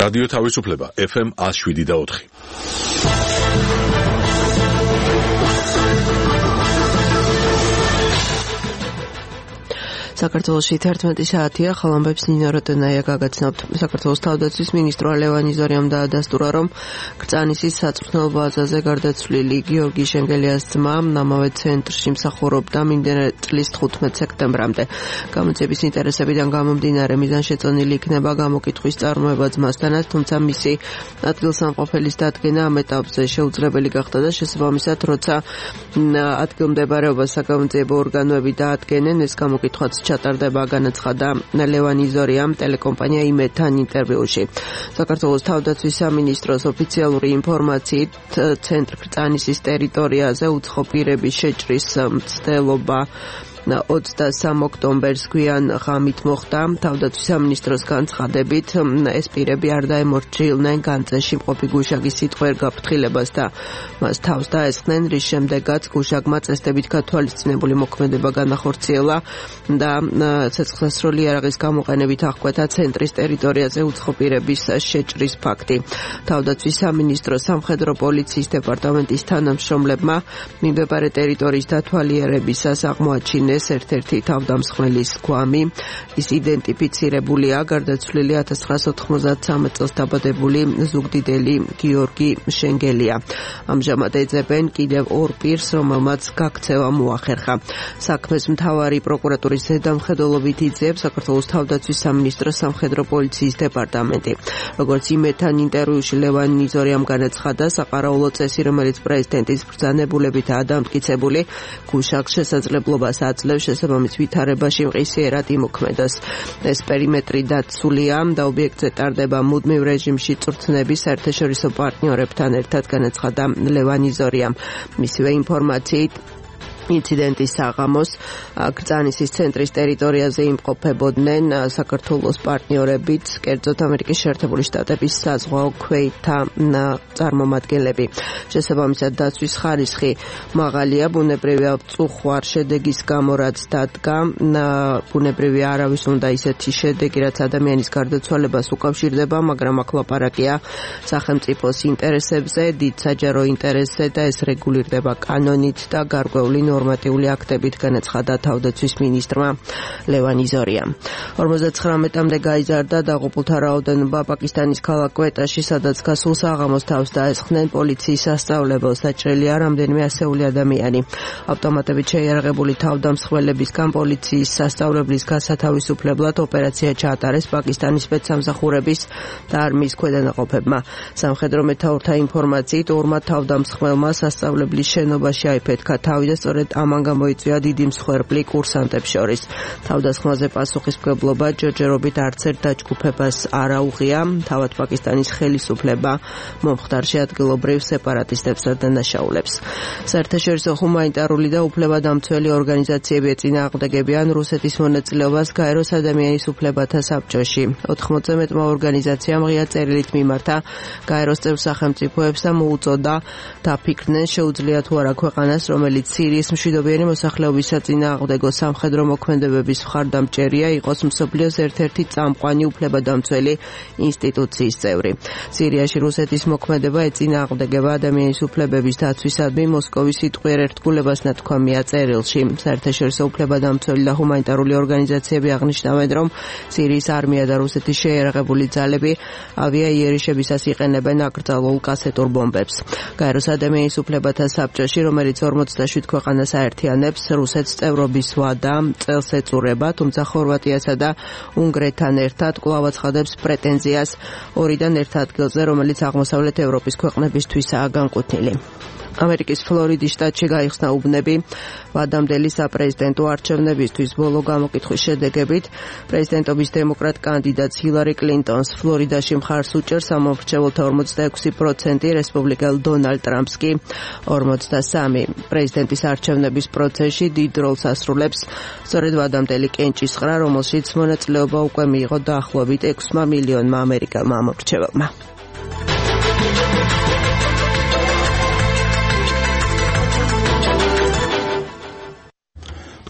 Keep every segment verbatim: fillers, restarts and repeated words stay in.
რადიო თავისუფლება ეფ ემ one oh seven და four. საქართველოში თერთმეტი საათია, ხალამბებს ნინო როტენაია გაგაცნობთ. საქართველოს თავდაცვის მინისტრო ლევან იზორიამ დაადასტურა, რომ კრწანისის საწვრთნელ ბაზაზე გარდაცვლილი გიორგი შენგელიას ძმა ამავე ცენტრში მსახურობდა მიმდინარე წლის თხუთმეტ სექტემბრამდე. გამოძიების ინტერესებიდან გამომდინარე მიზანშეწონილი იქნება გამოკითხვის წარმოება ძმასთანაც, თუმცა მისი ადგილსამყოფელის დადგენა ამ ეტაპზე შეუძლებელი გახდა და შესაბამისად, როცა ადგილმდებარეობას საგამოძიებო ორგანოები დაადგენენ, ეს გამოკითხვაც ჩატარდება, განაცხადა ლევან იზორიამ ტელეკომპანია იმედთან ინტერვიუში. საქართველოს თავდაცვის სამინისტროს ოფიციალური ინფორმაციით, ცენტრ კრწანისის ტერიტორიაზე უცხო პირების შეჭრის მცდელობა ოცდასამ ოქტომბერს გვიან ღამით მოხდა. თავდაცვის სამინისტროს განცხადებით, ეს პირები არ დაემორჩილნენ განწეში მყოფი გუშაგის სიტყვიერ გაფრთხილებას და მას თავს დაესხნენ, რის შემდეგაც გუშაგმა წესდებით გათვალისწინებული მოქმედება განახორციელა და ცეცხლსასროლი იარაღის გამოყენებით აღკვეთა ცენტრის ტერიტორიაზე უცხო პირების შეჭრის ფაქტი. თავდაცვის სამინისტროს სამხედრო პოლიციის დეპარტამენტის თანამშრომლებმა მიმდებარე ტერიტორიის დათვალიერებისას აღმოაჩინეს ერთ-ერთი თავდამსხმელის გვამი. ის იდენტიფიცირებულია, გარდაცვლილი ათას ცხრაასა ოთხმოცდათსამი წელს დაბადებული ზუგდიდელი გიორგი შენგელია. ამჟამად ეძებენ კიდევ ორ პირს, რომელმაც გაქცევა მოახერხა. საქმეს მთავარი პროკურატურის ზედამხედველობით იძიებს საქართველოს თავდაცვის სამინისტროს სამხედრო პოლიციის დეპარტამენტი. როგორც იმედთან ინტერვიუში ლევან იზორიამ განაცხადა, საყარაულო წესი, რომელიც პრეზიდენტის ბრძანებულებითაა დამტკიცებული, გუშაგს შესაძლებლობას აძლევს შესაბამის ვითარებაში მყისიერად იმოქმედოს. ეს პერიმეტრი დაცულია და ობიექტზე ტარდება მუდმივ რეჟიმში წვრთნები საერთაშორისო პარტნიორებთან ერთად, განაცხადა ლევან იზორიამ. მისივე ინფორმაციით, ინციდენტის საღამოს კრწანისის ცენტრის ტერიტორიაზე იმყოფებოდნენ საქართველოს პარტნიორებით, კერძოდ ამერიკის შეერთებული შტატების საზღვაო ქვეითთა წარმომადგენლები. შესაბამისად, დაცვის ხარისხი მაღალია, ბუნებრივია წუხვარ შედეგის გამო, რაც დადგა. ბუნებრივია არავის უნდა ისეთი შედეგი, რაც ადამიანის გარდაცვალებას უკავშირდება, მაგრამ აქ ლაპარაკია სახელმწიფოს ინტერესებზე, დიდ საჯარო ინტერესზე და ეს რეგულირდება კანონით და გარკვეული ნორმატიული აქტებით, განაცხადა თავდაცვის მინისტრმა ლევან იზორიამ. ორმოცდათხრამეტამდე გაიზარდა დაღუპულთა რაოდენობა პაკისტანის ქალაქ კვეტაში, სადაც გასულ საღამოს თავს დაესხნენ პოლიციის სასწავლებელს. დაჭრილია რამდენიმე ასეული ადამიანი. ავტომატებით შეიარაღებული თავდამსხმელებისგან პოლიციის სასწავლებლის გასათავისუფლებლად ოპერაცია ჩაატარეს პაკისტანის სპეცსამსახურების და არმიის ქვედანაყოფებმა. სამხედრო მეთაურთა ინფორმაციით, ორმა თავდამსხმელმა სასწავლებლის შენობაში აიფეთქა თავი და სწორედ ამან გამოიწვია დიდი მსხვერპლი კურსანტებს შორის. თავდასხმაზე პასუხისმგებლობა ჯერჯერობით არც ერთ დაჯგუფებას არ აუღია. თავად პაკისტანის ხელისუფლება მომხდარში ადგილობრივ სეპარატისტებს დანაშაულებს. საერთაშორისო ჰუმანიტარული და უფლებადამცველი ორგანიზაციები ეწინააღმდეგებიან რუსეთის მონაწილეობას გაეროს ადამიანის უფლებათა საბჭოში. ოთხმოცზე მეტმა ორგანიზაციამ ღია წერილით მიმართა გაეროს წევრ სახელმწიფოებს და მოუწოდა დაფიქრდნენ, შეუძლია თუ არა ქვეყანას, რომელიც სირიის მშვიდობიანი მოსახლეობის საწინააღმდეგო სამხედრო მოქმედებების მხარდამჭერია, იყოს მსოფლიოს ერთ-ერთი წამყვანი უფლებადამცველი ინსტიტუციის წევრი. სირიაში რუსეთის მოქმედება ეწინააღმდეგება ადამიანის უფლებების დაცვისადმი მოსკოვის სიტყვიერ ერთგულებას ნათქვამია წერილში. საერთაშორისო უფლებადამცველი და ჰუმანიტარული ორგანიზაციები აღნიშნავენ, რომ სირიის არმია და რუსეთის შეიარაღებული ძალები ავიაიერიშებისას იყენებენ აკრძალულ კასეტურ ბომბებს. გაეროს ადამიანის უფლებათა საბჭოში, რომელიც ორმოცდაშვიდ ქვეყანას აერთიანებს, რუსეთს წევრობის ვადა წელს ეწურება, თუმცა ხორვატიასა და უნგრეთთან ერთად კვლავ აცხადებს პრეტენზიას ორიდან ერთ ადგილზე, რომელიც აღმოსავლეთ ევროპის ქვეყნებისთვისაა განკუთვნილი. ამერიკის ფლორიდის შტატში გაიხსნა უბნები ვადამდელი საპრეზიდენტო არჩევნებისთვის. ბოლო გამოკითხვის შედეგებით პრეზიდენტობის დემოკრატ კანდიდატს ჰილარი კლინტონს ფლორიდაში მხარს უჭერს სამომრჩეველთა ორმოცდაექვსი პროცენტი, რესპუბლიკელ დონალდ ტრამპს კი ორმოცდასამი. პრეზიდენტის არჩევნების პროცესში დიდ როლს ასრულებს სწორედ ვადამდელი კენჭისყრა, რომელშიც მონაწილეობა უკვე მიიღო დაახლოებით ექვსმა მილიონმა ამერიკელმა ამომრჩეველმა.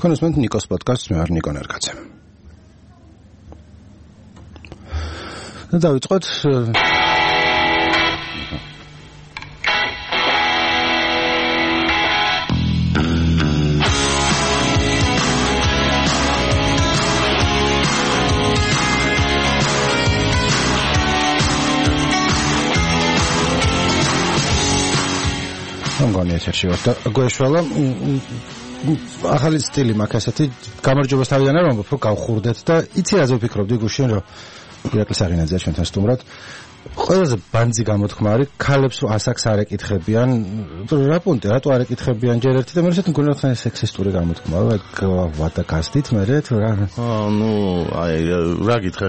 კონსპონდენტ ნიკოს პოდკასტს მე ვარ ნიკო ნერგაძე. დავიწყოთ ამგონია ეთერში ვარ და გვეშვალა ახალი სტილი მაქვს ასეთი გამარჯვებას თავიდან არ ვამბობ, რომ გავხურდეთ და იცი რაზე ვფიქრობდი გუშინ, რომ ირაკლი საღინაძეა ჩვენთან სტუმრად. ყველაზე ბანძი გამოთქმა არის, ქალებს რო ასაკს არ ეკითხებიან, რა პუნქტი, რატო არ ეკითხებიან ჯერ ერთი და მე ისეთ მგონია თან სექსისტური გამოთქმა, რა ვადა გასდით მე რა. აა ნუ აი რა გითხრა,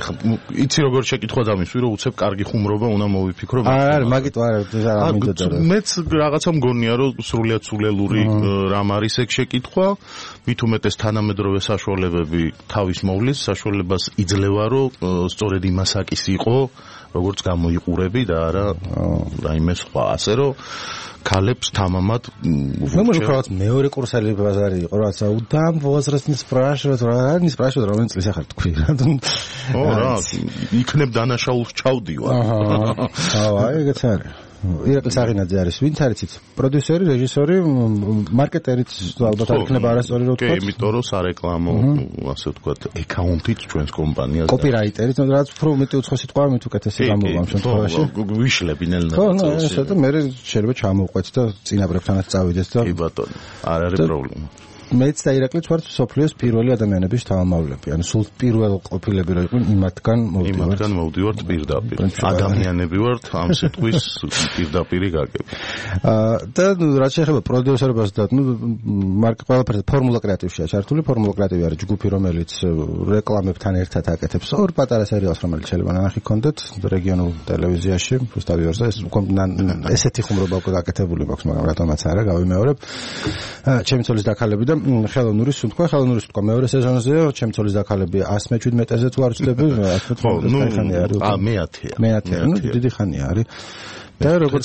იცი როგორ შეკითხვა დამისვი, რომ უცებ კარგი ხუმრობა უნდა მოვიფიქრო. არა, მაგით არა, არ მინდოდა. მეც რაღაცა მგონია, რომ სრულიად სულელური რამ არის ეგ შეკითხვა, მით უმეტეს თანამედროვე საშუალებები თავის მოვლის, საშუალებას იძლევა, რომ სწორედ იმასაკის იყო როგორც გამოიყურები და არა რაიმე სხვა ასე რომ ქალებს თამამად მე მგონი მეორე კურსელი ბაზარი იყო რაც უდამ возраст не спрашивают რა не спрашивают რომელი წლის ახარ თქვი რა ო რა იქნებ დანაშაულს ჩავდივარ აუ აი ეგეც არის ირაკლი საღინაძე არის ვინც არიცით პროდიუსერი რეჟისორი მარკეტერიც ალბათ არ იქნება არასწორი რო თქვა კი იმიტომ რომ სარეკლამო ასე ვთქვათ აკაუნტით ჩვენს კომპანიას კოპირაიტერიც რაც უფრო მეტი უცხო სიტყვა მით უკეთესი გამოვა ამ შემთხვევაში ვიშლებინელ ხო ნუ ესე და მე შეიძლება ჩამოვყვეთ და წინაბრებთანაც წავიდეთ და კი ბატონო არ არის პრობლემა მეც და ირაკლიც ვართ სოფლიოს პირველი ადამიანების თავმავლები. ანუ სულ პირველ ყოფილები რო იყვნენ იმათგან მოვდივართ. იმათგან მოვდივართ პირდაპირ. ადამიანები ვართ ამ სიტყვის პირდაპირი გაგები. აა და რაც შეეხება პროდიუსერობას და ნუ მარკ ყველაფერზე ფორმულა კრეატივშია ჩართული. ფორმულა კრეატივი არის ჯგუფი, რომელიც რეკლამებთან ერთად აკეთებს ორ პატარა სერიალს, რომელიც შეიძლება ნანახი გქონდეთ რეგიონულ ტელევიზიაში, რუსთავი ორზე. ეს ესეთი ხუმრობა უკვე გაკეთებული მაქვს, მაგრამ რატომაც არა, გავიმეორებ. ჩემი ცოლის დაქალები და ხელოვნური სუნთქვა, ხელოვნური სუნთქვა მეორე სეზონზეა, ჩემი ცოლის დაქალები one seventy-seven-ზე თუ არ ვცდები, one seventy-seven-ი არის. აა მეათეა. მეათეა, ნუ დიდი ხანია არის. და როგორც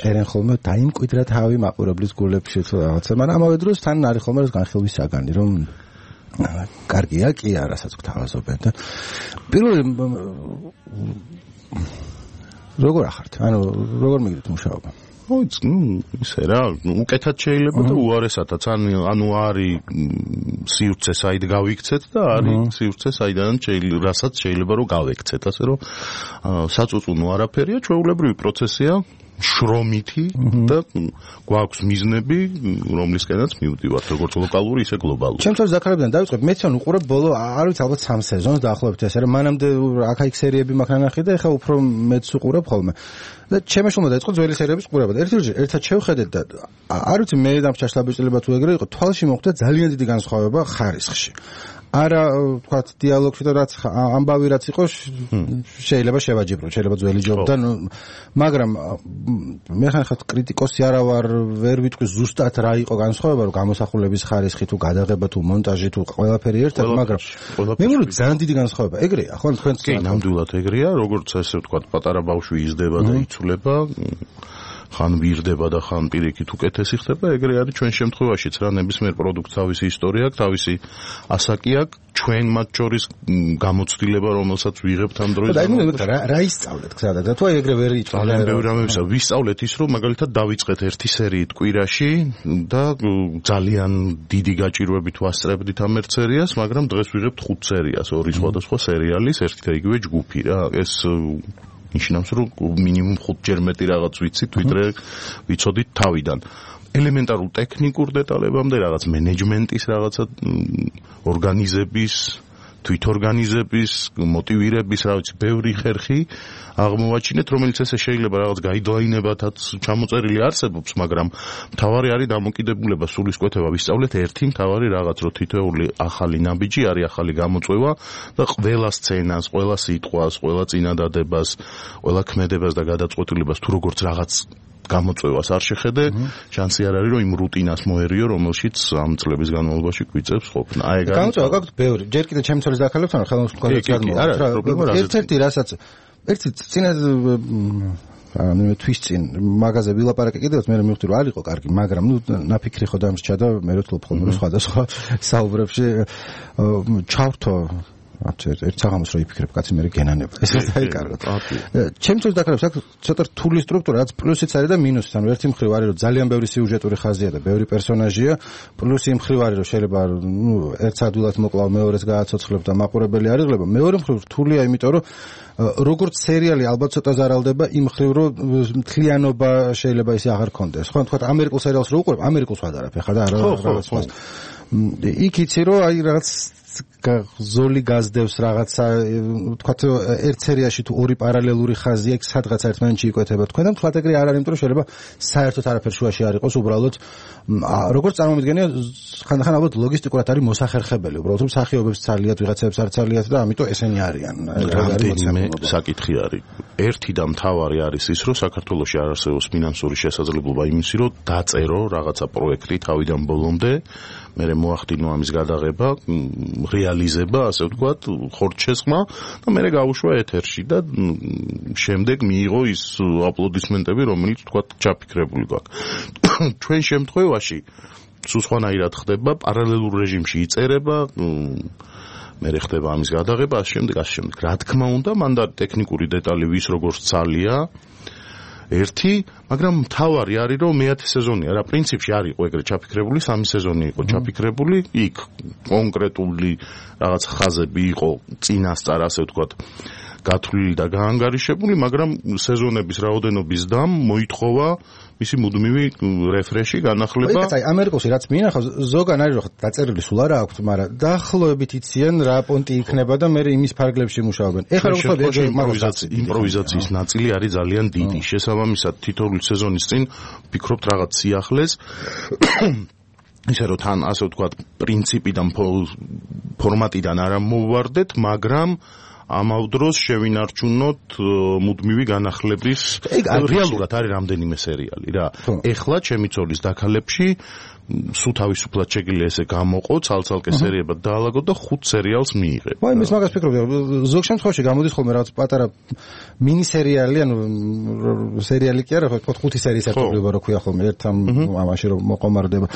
წერენ ხოლმე დაიმკვიდრა თავი მაყურებლის გულებში თუ რაღაცა, მაგრამ ამავე დროს თან არის ხოლმე ეს განხილვის საგანი, რომ კარგია, კი არასაც გთავაზობენ და პირველი როგორ ახართ? ანუ როგორ მიგდით მუშაობა? ოიც, ნუ ისე რა, უკეთად შეიძლება და უარესათაც, ანუ არის სივრცე საიდ გავიქცეთ და არის სივრცე საიდანაც შეიძლება, რასაც შეიძლება რომ გავექცეთ, ასე რომ საწუწუნო არაფერია, ჩვეულებრივი პროცესია, შრომითი და გვაქვს მიზნები, რომლისკენაც მივდივართ, როგორც ლოკალური, ისე გლობალური. ჩემ თავს დაქალებიდან დავიწყებ, მეც ან უყურებ ბოლო, არ ვიცი, ალბათ სამ სეზონს დაახლოებით ესე, რომ მანამდე აქ-იქ სერიები მაქვს ნანახი და ეხლა უფრო მეც უყურებ ხოლმე. და ჩემი შვილმა დაიწყო ძველი სერიების ყურება. ერთ-ერთი ერთად შევხედეთ და არ ვიცი მე და ჩაშლაბეჭდილება თუ ეგრე იყო, თვალში მოხვდა ძალიან დიდი განსხვავება ხარისხში. არა ვთქვათ დიალოგში და რაც ამბავი რაც იყო შეიძლება შევაჯიბრო, შეიძლება ძველი ჯობდა, მაგრამ მე ხან კრიტიკოსი არა ვარ, ვერ ვიტყვი ზუსტად რა იყო განსხვავება, რომ გამოსახულების ხარისხი თუ გადაღება თუ მონტაჟი თუ ყველაფერი ერთად, მაგრამ მე მგონი ძალიან დიდი განსხვავება. ეგრეა, ხო, თქვენც კი, ნამდვილად ეგრეა, როგორც ესე ვთქვათ, პატარა ბავშვი იზრდება და იცვლება. ხან ვირდება და ხან პირიქით უკეთესი ხდება, ეგრე არის ჩვენ შემთხვევაშიც რა, ნებისმიერ პროდუქტს თავისი ისტორია აქვს, თავისი ასაკი აქვს, ჩვენ მათ შორის გამოცდილება, რომელსაც ვიღებთ ამ დროის. და აი რა რა ისწავლეთ გზადაგ და თუ აი ეგრე ვერ იწვალეთ. ძალიან ბევრი რამებისა ვისწავლეთ ის, რომ მაგალითად დავიწყეთ ერთი სერიით კვირაში და ძალიან დიდი გაჭირვებით ვასწრებდით ამ ერთ სერიას, მაგრამ დღეს ვიღებთ ხუთ სერიას, ორი სხვადასხვა სერიალის, ერთი და იგივე ჯგუფი რა. ეს ნიშნავს, რომ მინიმუმ ხუთჯერ მეტი რაღაც ვიცით, ვიდრე ვიცოდით თავიდან. ელემენტარულ ტექნიკურ დეტალებამდე, რაღაც მენეჯმენტის, რაღაცა ორგანიზების, თვითორგანიზების, მოტივირების, რა ვიცი, ბევრი ხერხი აღმოვაჩინეთ, რომელიც ესე შეიძლება რაღაც გაიდლაინებათაც ჩამოწერილი არსებობს, მაგრამ მთავარი არის დამოკიდებულება, სულისკვეთება ვისწავლეთ ერთი მთავარი რაღაც, რომ თითოეული ახალი ნაბიჯი არის ახალი გამოწვევა და ყველა სცენას, ყველა სიტყვას, ყველა წინადადებას, ყველა ქმედებას და გადაწყვეტილებას თუ როგორც რაღაც გამოწვევას არ შეხედე, შანსი არ არის, რომ იმ რუტინას მოერიო, რომელშიც ამ წლების განმავლობაში გვიწევს ყოფნა. აი ეგ არის. გამოწვევა გაქვთ ბევრი. ჯერ კიდე ჩემი ცოლის დაქალებთან ხელოვნებად გადმოვიდა. ერთ-ერთი რასაც ერთი წინა ანუ თვის წინ მაღაზია ვილაპარაკე კიდევაც მე მივხვდი რომ არ იყო კარგი, მაგრამ ნუ ნაფიქრი ხო დამრჩა და მე რო თლობ ხოლმე სხვადასხვა საუბრებში ჩავრთო ერთ საღამოს რო იფიქრებ კაცი მე გენანება ეს დაიკარგოთ ჩემთვის დაკარებს აქ ცოტა რთული სტრუქტურა რაც პლუსიც არის და მინუსიც ანუ ერთი მხრივ არის რომ ძალიან ბევრი სიუჟეტური ხაზია და ბევრი პერსონაჟია პლუსი იმ მხრივ არის რომ შეიძლება ნუ ერთს ადვილად მოკლავ მეორეს გააცოცხლებ და მაყურებელი არ იღლება მეორე მხრივ რთულია იმიტომ რომ როგორც სერიალი ალბათ ცოტა ზარალდება იმ მხრივ რომ მთლიანობა შეიძლება ისე აღარ ქონდეს ხო თქვა ამერიკულ სერიალს რო უყურებ ამერიკულს ვადარებ ეხლა და რაღაც სხვა იქ იცი რომ აი რაღაც ზოლი გაზდევს რაღაცა თქვათ ერთ სერიაში თუ ორი პარალელური ხაზია იქ სადღაც ერთმანეთში იკვეთება თქვენ და თქვათ ეგრე არ არის იმიტომ რომ შეიძლება საერთოდ არაფერ შუაში არ იყოს უბრალოდ როგორც წარმომიდგენია ხანდახან ალბათ ლოგისტიკურად არის მოსახერხებელი უბრალოდ რომ სახეობებს ცალიათ ვიღაცებს არ ცალიათ და ამიტომ ესენი არიან რამდენიმე საკითხი არის ერთი და მთავარი არის ის რომ საქართველოში არ არსებობს ფინანსური შესაძლებლობა იმისი რომ დაწერო რაღაცა პროექტი თავიდან ბოლომდე მე მოახდინო ამის გადაღება რეალიზება ასე ვთქვათ ხორცშესხმა და მე გავუშვა ეთერში და შემდეგ მიიღო ის აპლოდისმენტები რომელიც ვთქვათ ჩაფიქრებული გვაქვს ჩვენ შემთხვევაში სულ სხვანაირად ხდება პარალელურ რეჟიმში იწერება მე ხდება ამის გადაღება ასე შემდეგ ასე შემდეგ რა თქმა უნდა მან და ტექნიკური დეტალი ვის როგორც ცალია ერთი, მაგრამ მთავარი არის რომ მეათე სეზონია რა პრინციპში არ იყო ეგრე ჩაფიქრებული, სამი სეზონი იყო ჩაფიქრებული, იქ კონკრეტული რაღაც ხაზები იყო წინასწარ ასე ვთქვათ გათვლილი და გაანგარიშებული, მაგრამ სეზონების რაოდენობის დამ მოითხოვა მისი მუდმივი რეფრეში განახლება. აი, ამერიკოსი რაც მინახავს, ზოგან არის რომ დაწერილი სულ არა აქვს, მაგრამ დაახლოებით იციან რა პონტი იქნება და მე იმის ფარგლებში მუშაობენ. ეხლა როგორც იმპროვიზაციის იმპროვიზაციის ნაწილი არის ძალიან დიდი. შესაბამისად, თითოეული სეზონის წინ ვფიქრობთ რაღაც სიახლეს ისე რომ თან ასე ვთქვათ პრინციპიდან ფორმატიდან არ მოვვარდეთ, მაგრამ ამავ დროს შევინარჩუნოთ მუდმივი განახლების რეალურად არის რამდენიმე სერიალი რა. ეხლა ჩემი ცოლის დაქალებში სულ თავისუფლად შეგიძლია ესე გამოყო, ცალ-ცალკე სერიებად დაალაგო და ხუთ სერიალს მიიღე. ვაი, მის მაგას ფიქრობ, ზოგ შემთხვევაში გამოდის ხოლმე რაღაც პატარა მინი სერიალი, ანუ სერიალი კი არა, ხო, ხუთი სერიის ერთობლივ რო ქვია ხოლმე, ერთ ამაში რომ მოყომარდება.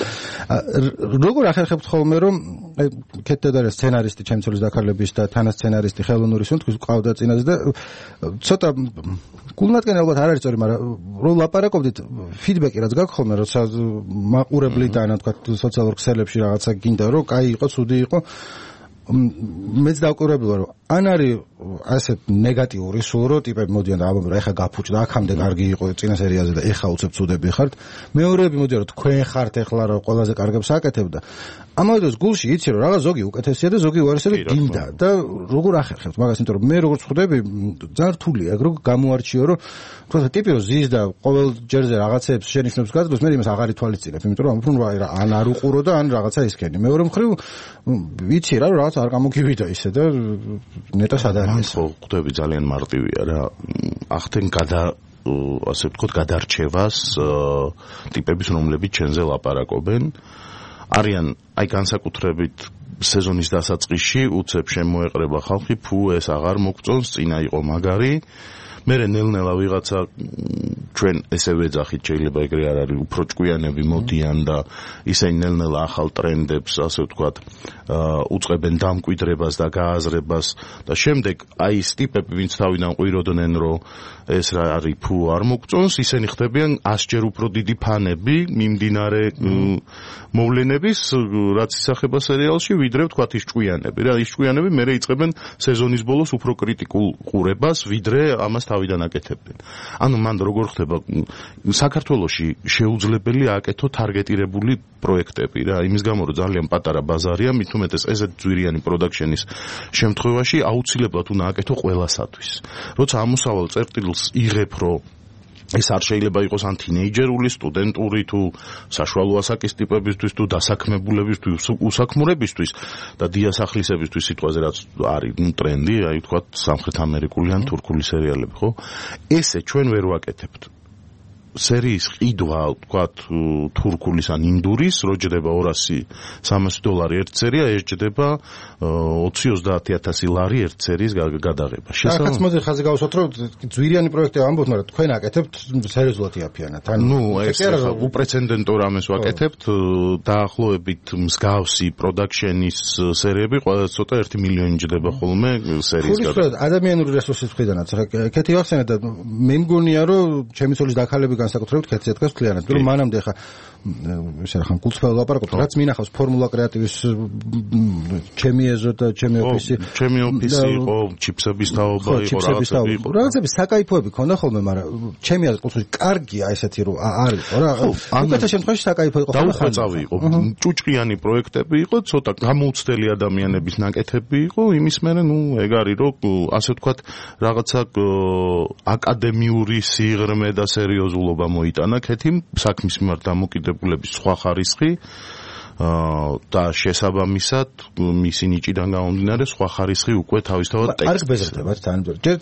როგორ ახერხებთ ხოლმე რომ კეთდა სცენარისტი ჩემი ცოლის დაქალების და თანასცენარისტი ხელოვნური სუნთქვის ყავდა წინაზე და ცოტა გულნათკენ ალბათ არ არის სწორი, მაგრამ რომ ლაპარაკობდით ფიდბეკი რაც გაქვს ხოლმე, როცა მაყურებლიდან ან თქვა სოციალურ ქსელებში რაღაცა გინდა რომ კაი იყო, ცუდი იყო. მეც დავკვირვებული ვარ რომ ან არის ასე ნეგატიური სულ რომ ტიპები მოდიან და ამბობენ რომ ეხა გაფუჭდა აქამდე კარგი იყო წინა სერიალზე და ეხა უცებ ცუდები ხართ. მეორეები მოდიან რომ თქვენ ხართ ეხლა რომ ყველაზე კარგებს აკეთებ და ამავე დროს გულში იცი რომ რაღაც ზოგი უკეთესია და ზოგი უარესია და გინდა და როგორ ახერხებთ მაგას, იმიტომ რომ მე როგორც ხვდები ძალიან რთულია ეგ რომ გამოარჩიო რომ თქვა ტიპი რომ ზის და ყოველ ჯერზე რაღაცებს შენიშნებს გაძლევს, მე იმას აღარ ითვალისწინებ, იმიტომ რომ უფრო ან არ უყურო და ან რაღაცა ისქენი. მეორე მხრივ ვიცი რა რომ რაღაც არ გამოგივიდა ისე და ნეტა სადარია. ხო, ხვდები ძალიან მარტივია რა. ახთენ გადა ასე ვთქვათ გადარჩევას ტიპების რომლებიც ჩვენზე ლაპარაკობენ. არიან აი განსაკუთრებით სეზონის დასაწყისში უცებ შემოეყრება ხალხი, ფუ ეს აღარ მოგწონს, წინა იყო მაგარი. მერე ნელ-ნელა ვიღაცა ჩვენ ესე ვეძახით, შეიძლება ეგრე არ არის, უფრო ჭკვიანები მოდიან და ისინი ნელ-ნელა ახალ ტრენდებს, ასე ვთქვათ, უწყებენ დამკვიდრებას და გააზრებას და შემდეგ აი ეს ტიპები, ვინც თავიდან ყვიროდნენ, რომ ეს რა არის, ფუ არ მოგწონს, ისინი ხდებიან ასჯერ უფრო დიდი ფანები მიმდინარე მოვლენების, რაც ისახება სერიალში, ვიდრე ვთქვათ ის ჭკვიანები. რა, ის ჭკვიანები მერე იწყებენ სეზონის ბოლოს უფრო კრიტიკულ ყურებას, ვიდრე ამას თავიდან აკეთებდნენ. ანუ მან როგორ ხდება საქართველოში შეუძლებელი აკეთო თარგეტირებული პროექტები რა, იმის გამო რომ ძალიან პატარა ბაზარია, მით უმეტეს ესეთ ძვირიანი პროდაქშენის შემთხვევაში აუცილებლად უნდა აკეთო ყველასათვის. როცა ამოსავალ წერტილს იღებ, რომ ეს არ შეიძლება იყოს ან თინეიჯერული, სტუდენტური თუ საშუალო ასაკის ტიპებისთვის თუ დასაქმებულებისთვის, უსაქმურებისთვის და დიასახლისებისთვის სიტყვაზე რაც არის ნუ ტრენდი, აი ვთქვათ სამხრეთ ამერიკული ან თურქული სერიალები, ხო? ესე ჩვენ ვერ ვაკეთებთ. სერიის ყიდვა, ვთქვათ, თურქულის ან ინდურის, რო ჯდება ორასი სამასი დოლარი ერთ სერია, ეს ჯდება ოცი ოცდაათი ათასი ლარი ერთ სერიის გადაღება. შესაძლოა მოდი ხაზი გავუსვათ, რომ ძვირიანი პროექტი ამბობთ, მაგრამ თქვენ აკეთებთ სერიოზულად იაფიანად. ნუ ეს უპრეცედენტო რამეს ვაკეთებთ, დაახლოებით მსგავსი პროდაქშენის სერიები ყველა ცოტა ერთი მილიონი ჯდება ხოლმე სერიის გადაღება. ადამიანური რესურსის მხრიდანაც, ხა კეთი ვახსენე და მე მგონია, რომ ჩემი ცოლის დაქალები განსაკუთრებით კეთზე დგას მთლიანად. რომ მანამდე ხა ესე რა ხან კულტფელ ლაპარაკობთ, რაც მინახავს ფორმულა კრეატივის ჩემი ეზო და ჩემი ოფისი. ჩემი ოფისი იყო, ჩიპსების თაობა იყო, რაღაცები იყო. რაღაცები საკაიფოები ქონდა ხოლმე, მაგრამ ჩემი აზრით კულტური კარგია ესეთი რომ არის ხო რა. უკეთ შემთხვევაში საკაიფო იყო ხოლმე. დაუხვეწავი იყო. ჭუჭყიანი პროექტები იყო, ცოტა გამოუცდელი ადამიანების ნაკეთები იყო, იმის მერე ნუ ეგ არის რომ ასე ვთქვათ რაღაცა აკადემიური სიღრმე და სერიოზულობა მოიტანა ქეთიმ საქმის მიმართ დამოკიდებულების სხვა ხარისხი და შესაბამისად მისი ნიჭიდან გამომდინარე სხვა ხარისხი უკვე თავისთავად ტექსტს. არ გბეზრდებათ თან. ჯერ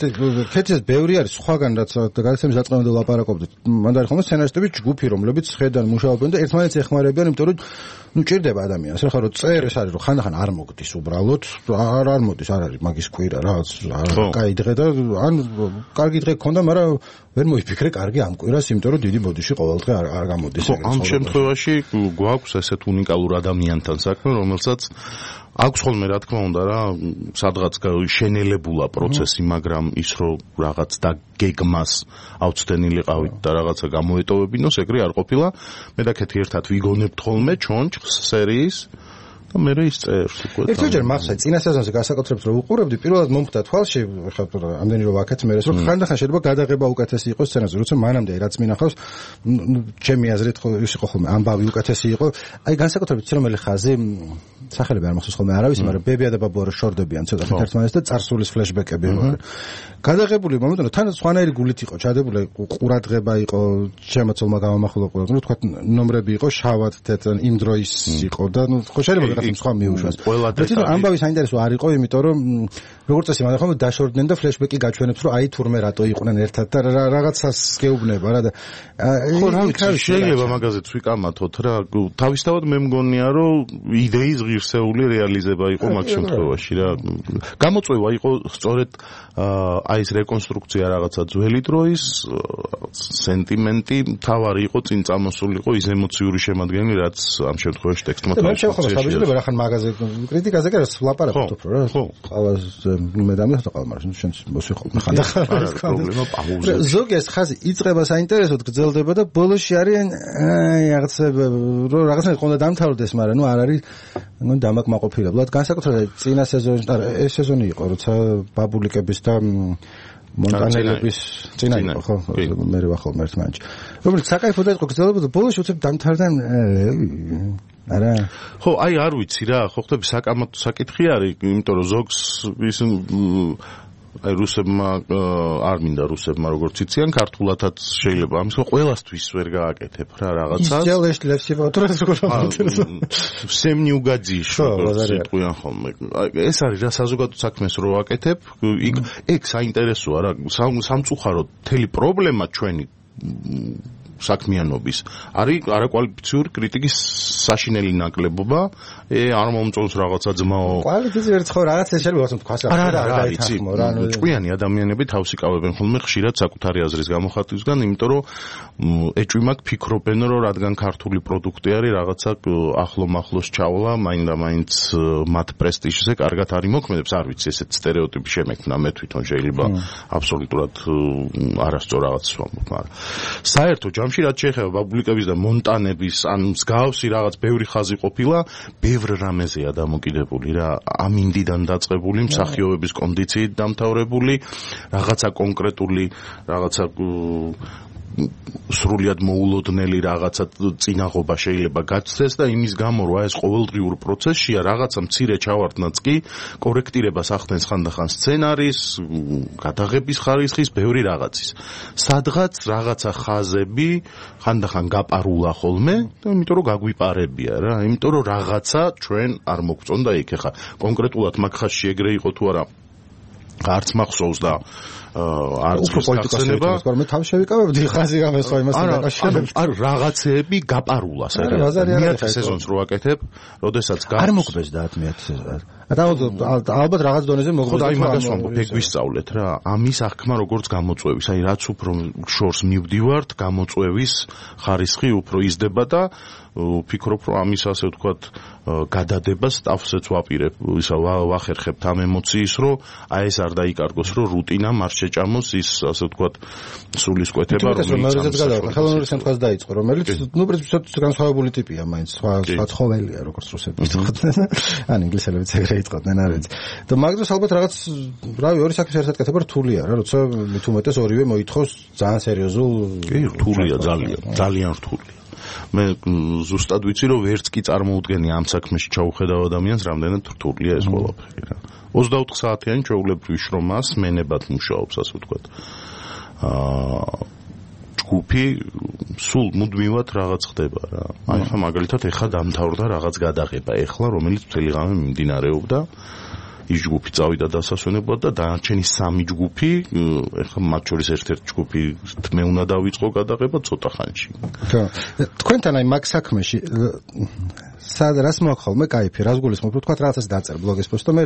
ქეთის ბევრი არის სხვაგან რაც გადაცემის დაწყებამდე ლაპარაკობდით. მანდ არის ხოლმე სცენარისტები ჯგუფი რომლებიც ხედან მუშაობენ და ერთმანეთს ეხმარებიან, იმიტომ რომ ნუ ჭირდება ადამიანს. ახლა რომ წერ ეს არის რომ ხანდახან არ მოგდის უბრალოდ, არ არ მოდის, არ არის მაგის კვირა რაღაც კაი დღე და ან კარგი დღე გქონდა, მაგრამ ვერ მოიფიქრე კარგი ამ კვირას, იმიტომ რომ დიდი ბოდიში ყოველ დღე არ არ გამოდის. ამ შემთხვევაში გვაქვს ესეთ უნიკალურ ადამიანთან საქმე, რომელსაც აქვს ხოლმე რა თქმა უნდა რა სადღაც შენელებულა პროცესი, მაგრამ ის რომ რაღაც და გეგმას აუცდენილიყავით და რაღაცა გამოეტოვებინოს, ეგრე არ ყოფილა. მე და ქეთი ერთად ვიგონებთ ხოლმე ჩონჩხს სერიის და მე ის წერს უკვე. ერთჯერ მახსოვს წინა სეზონზე განსაკუთრებით რომ უყურებდი, პირველად მომხდა თვალში, ხა ამდენი რომ ვაკეთე მე ეს რომ ხანდახან შეიძლება გადაღება უკეთესი იყოს სცენაზე, როცა მანამდე რაც მინახავს, ჩემი აზრით ხო ის იყო ხოლმე ამბავი უკეთესი იყო. აი განსაკუთრებით ცრომელი ხაზი სახელები არ მახსოვს ხოლმე არავის, მაგრამ ბებია და ბაბუა რო შორდებიან ცოტა ერთმანეთს და წარსულის ფლეშბეკები იყო. გადაღებული მომენტი თან სხვანაირი გულით იყო ჩადებული, ყურადღება იყო, შემოწოლმა გამომახვილა ყურადღება, თქვა ნომრები იყო შავად თეთრ იმ დროის იყო და ნუ ხო შეიძლება სხვა მიუშვას. თვითონ ამბავი საინტერესო არ იყო, იმიტომ რომ როგორც წესი მანახომ დაშორდნენ და ფლეშბეკი გაჩვენებს, რომ აი თურმე რატო იყვნენ ერთად და რაღაცას გეუბნება რა და ხო რა ვიცი, შეიძლება მაგაზეც ვიკამათოთ რა. თავისთავად მე მგონია, რომ იდეის ღირსეული რეალიზება იყო მაგ შემთხვევაში რა. გამოწვევა იყო სწორედ აი ეს რეკონსტრუქცია რაღაცა ძველი დროის სენტიმენტი, თავარი იყო წინ წამოსულიყო ის ემოციური შემადგენელი, რაც ამ შემთხვევაში ტექსტმა თავისთავად ახან მაგაზე კრიტიკაზე კი რას ლაპარაკობთ უფრო რა. ხო. ყავას მე დამიხდა ყავა, მაგრამ შენ მოსვიხო ხანდახან. პრობლემა პაუზა. ზოგი ეს ხაზი იწყება საინტერესოდ გრძელდება და ბოლოში არიან აი რაღაცა რომ რაღაცა ყონდა დამთავრდეს, მაგრამ ნუ არ არის ნუ დამაკმაყოფილებლად. განსაკუთრებით წინა სეზონი, არა ეს სეზონი იყო, როცა ბაბულიკების და მონტანელების წინა იყო, ხო? მე ვახალ ერთმანეთში. რომელიც საკაიფო და იყო გრძელდება და ბოლოში უცებ დამთავრდა არა ხო აი არ ვიცი რა ხო ხტები საკამათო საკითხი არის იმიტომ რომ ზოგს ის აი რუსებმა არ მინდა რუსებმა როგორც იციან ქართულათაც შეიძლება ამის ხო ყველასთვის ვერ გააკეთებ რა რაღაცას ისწავლეს ლევსივა თორეს როგორ всем не угодишь სიტყვიან ხოლმე ეს არის რა საზოგადო საქმეს რო ვაკეთებ იქ ეგ საინტერესოა რა სამწუხაროდ მთელი პრობლემა ჩვენი საქმიანობის არის არაკვალიფიციური კრიტიკის საშინელი ნაკლებობა არ მომწონს რაღაცა ძმაო კვალიფიციური ერთ ხო რაღაცა შეიძლება ვთქვას არა არა იცი ჭკვიანი ადამიანები თავს იკავებენ ხოლმე ხშირად საკუთარი აზრის გამოხატვისგან იმიტომ რომ ეჭვი მაქვს ფიქრობენ რომ რადგან ქართული პროდუქტი არის რაღაცა ახლო მახლოს ჩავლა მაინდა მაინც მათ პრესტიჟზე კარგად არის მოქმედებს არ ვიცი ესეთ სტერეოტიპი შემექმნა მე თვითონ შეიძლება აბსოლუტურად არასწორ რაღაცას ვამბობ მაგრამ საერთო ჯამში რაც შეეხება ბაბულიკების და მონტანების ან მსგავსი რაღაც ბევრი ხაზი ყოფილა ბევრ რამეზეა დამოკიდებული რა ამინდიდან დაწყებული მსახიობების კონდიციით დამთავრებული რაღაცა კონკრეტული რაღაცა სრულიად მოულოდნელი რაღაცა წინაღობა შეიძლება გაცდეს და იმის გამო რა ეს ყოველდღიურ პროცესშია რაღაცა მცირე ჩავარდნაც კი კორექტირებას ახდენს ხანდახან სცენარის გადაღების ხარისხის ბევრი რაღაცის სადღაც რაღაცა ხაზები ხანდახან გაპარულა ხოლმე და იმიტომ რომ გაგვიპარებია რა იმიტომ რომ რაღაცა ჩვენ არ მოგწონდა იქ ხა კონკრეტულად მაგ ხაზში ეგრე იყო თუ არა არც მახსოვს და არც პოლიტიკოსები მე თავი შევიკავებდი ხაზი გამესვა იმას დაკავშირებით. არა, რაღაცეები გაპარულა საერთოდ. მეათე სეზონს რო აკეთებ, როდესაც არ მოგბეს და მეათე სეზონს. ალბათ რაღაც დონეზე მოგბეს. ხო, აი მაგას ვამბობ, ეგ ვისწავლეთ რა. ამის აღქმა როგორც გამოწვევის, აი რაც უფრო შორს მივდივართ, გამოწვევის ხარისხი უფრო იზრდება და ვფიქრობ, რომ ამის ასე ვთქვათ გადადებას ტავსეც ვაპირებ, ისა ვახერხებთ ამ ემოციის, რომ აი ეს არ დაიკარგოს, რომ რუტინა არ შეჭამოს ის ასე ვთქვათ სულისკვეთება, რომელიც ხელოვნური შემთხვევას დაიწყო, რომელიც ნუ პრინციპში განსხვავებული ტიპია, მაინც სხვა სხვა ცხოველია, როგორც რუსები ვთქვათ. ან ინგლისელებიც ეგრე იტყოდნენ, არ ვიცი. და მაგდროს ალბათ რაღაც, რავი, ორი საქმის ერთად კეთება რთულია რა, როცა მით უმეტეს ორივე მოითხოვს ძალიან სერიოზულ. კი, რთულია ძალიან, ძალიან რთულია. მე ზუსტად ვიცი რომ ვერც კი წარმოუდგენი ამ საქმეში ჩაუხედავ ადამიანს რამდენად რთულია ეს ყველაფერი რა. ოცდაოთხ საათიანი ჩვეულებრივი შრომას მენებად მუშაობს ასე ვთქვათ. აა ჯგუფი სულ მუდმივად რაღაც ხდება რა. აი ხა მაგალითად ეხა დამთავრდა რაღაც გადაღება ეხლა რომელიც მთელი ღამე მიმდინარეობდა. ის ჯგუფი წავიდა დასასვენებლად და დანარჩენი სამი ჯგუფი ეხლა მათ შორის ერთ-ერთი ჯგუფი მე უნდა დავიწყო გადაღება ცოტა ხანში. ხო. თქვენთან აი მაგ საქმეში სად რას მოახოლმე კაიფი რას გულისხმობ თქვა რაღაცას დაწერ ბლოგის პოსტო მე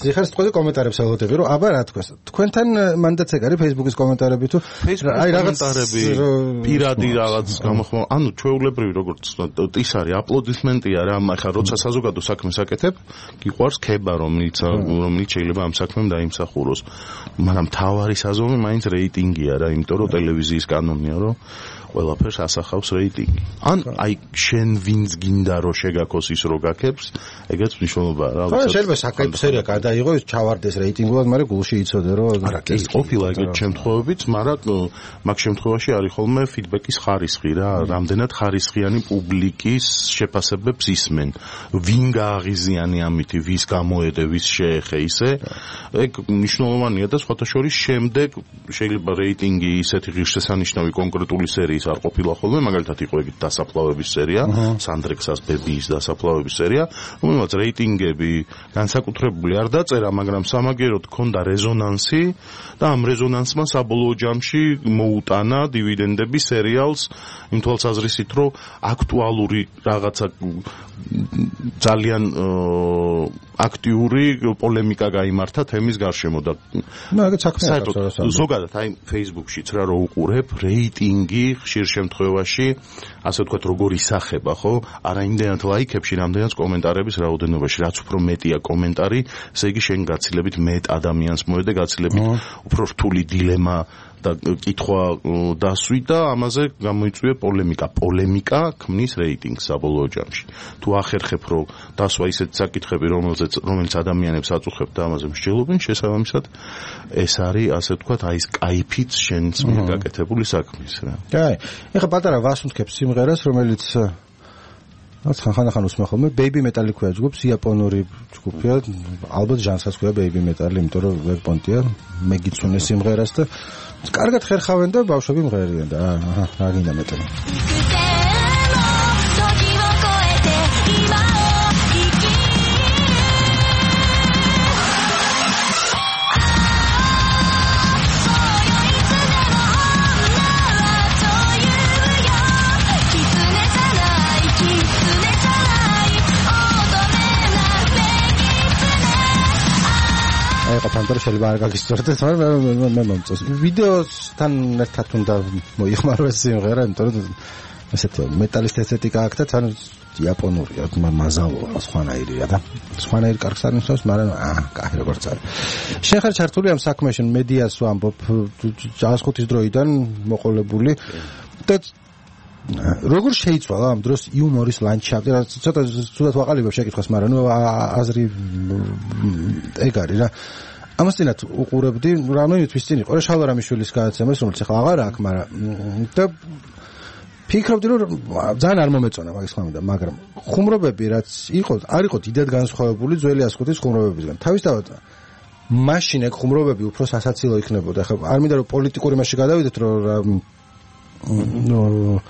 ზიხარ სიტყვაზე კომენტარებს ელოდები რომ აბა რა თქვას თქვენთან მანდაც ეგ არის Facebook-ის კომენტარები თუ აი რაღაცები პირადი რაღაც გამოხმო ანუ ჩვეულებრივი როგორც ის არის აპლოდისმენტია რა ახლა როცა საზოგადო საქმეს აკეთებ გიყვარს ქება რომელიც რომელიც შეიძლება ამ საქმემ დაიმსახუროს მაგრამ თავარი საზომი მაინც რეიტინგია რა იმიტომ რომ ტელევიზიის კანონია რომ ყველაფერს ასახავს რეიტინგი. ან აი შენ ვინც გინდა რომ შეგაქოს ის რო გაქებს, ეგეც მნიშვნელობა რა. ხო, შეიძლება საკაიფო სერია გადაიღო, ის ჩავარდეს რეიტინგულად, მაგრამ გულში იცოდე რომ არა, კი, ყოფილა ეგეთ შემთხვევებიც, მაგრამ მაგ შემთხვევაში არის ხოლმე ფიდბექის ხარისხი რა, რამდენად ხარისხიანი პუბლიკის შეფასებებს ისმენ. ვინ გააღიზიანი ამითი, ვის გამოედე, ვის შეეხე ისე. ეგ მნიშვნელოვანია და სხვათა შორის შემდეგ შეიძლება რეიტინგი ისეთი ღირსშესანიშნავი კონკრეტული სერიის არ ყოფილა ხოლმე, მაგალითად იყო ეგ დასაფლავების სერია, სანდრექსას ბებიის დასაფლავების სერია, რომელმაც რეიტინგები განსაკუთრებული არ დაწერა, მაგრამ სამაგიეროდ ჰქონდა რეზონანსი და ამ რეზონანსმა საბოლოო ჯამში მოუტანა დივიდენდები სერიალს იმ თვალსაზრისით, რომ აქტუალური რაღაცა ძალიან აქტიური პოლემიკა გაიმართა თემის გარშემო და მაგაც საქმეა ზოგადად აი Facebook-შიც რა რო უყურებ რეიტინგი ხშირ შემთხვევაში ასე ვთქვათ როგორ ისახება ხო არა იმდენად ლაიქებში რამდენად კომენტარების რაოდენობაში რაც უფრო მეტია კომენტარი ესე იგი შენ გაცილებით მეტ ადამიანს მოედე გაცილებით უფრო რთული დილემა და კითხვა დასვი და ამაზე გამოიწვია პოლემიკა. პოლემიკა ქმნის რეიტინგს საბოლოო ჯამში. თუ ახერხებ რომ დასვა ისეთი საკითხები რომელზეც რომელიც ადამიანებს აწუხებ და ამაზე მსჯელობენ შესაბამისად ეს არის ასე ვთქვათ აი ეს кайფიც შენს მიერ გაკეთებული საქმის რა. კაი. ეხლა პატარა ვასუნთქებ სიმღერას რომელიც რაც ხან-ხან უსმენ ხოლმე Baby Metal ქვია ჯგუფს იაპონური ჯგუფია ალბათ ჟანრსაც ქვია Baby Metal იმიტომ რომ ვერ პონტია მე გიცუნე სიმღერას და კარგად ხერხავენ და ბავშვები მღერიან და აჰა რა გინდა მეტალი ფანტარ შეიძლება არ გაგისწორდეს, მაგრამ მე მომწონს. ვიდეოსთან ერთად უნდა მოიხმარო ეს სიმღერა, იმიტომ რომ ესეთი მეტალის ესთეტიკა აქვს და თან იაპონურია, მაზალოა, სხვანაირია და სხვანაირი კარგს არნიშნავს, მაგრამ აა, კაი როგორც არის. შენ ხარ ჩართული ამ საქმეში, მედიას ვამბობ, ჯავახეთის დროიდან მოყოლებული და როგორ შეიცვალა ამ დროს იუმორის ლანდშაფტი, რა ცოტა ცუდად ვაყალიბებ შეკითხვას, მაგრამ ნუ აზრი ეგ არის რა. ამასთანავე უყურებდი, რამე თვის წინ იყო რა შალვარამიშვილის გადაცემას, რომელიც ახლა აღარ აქვს, მაგრამ და ფიქრობდი რომ ძალიან არ მომეწონა მაგის ხმამდა, მაგრამ ხუმრობები რაც იყო, არ იყო დიდად განსხვავებული ძველი ასხუთის ხუმრობებისგან. თავისთავად მაშინ ეგ ხუმრობები უფრო სასაცილო იქნებოდა. ახლა არ მინდა რომ პოლიტიკური მასში გადავიდეთ, რომ ნუ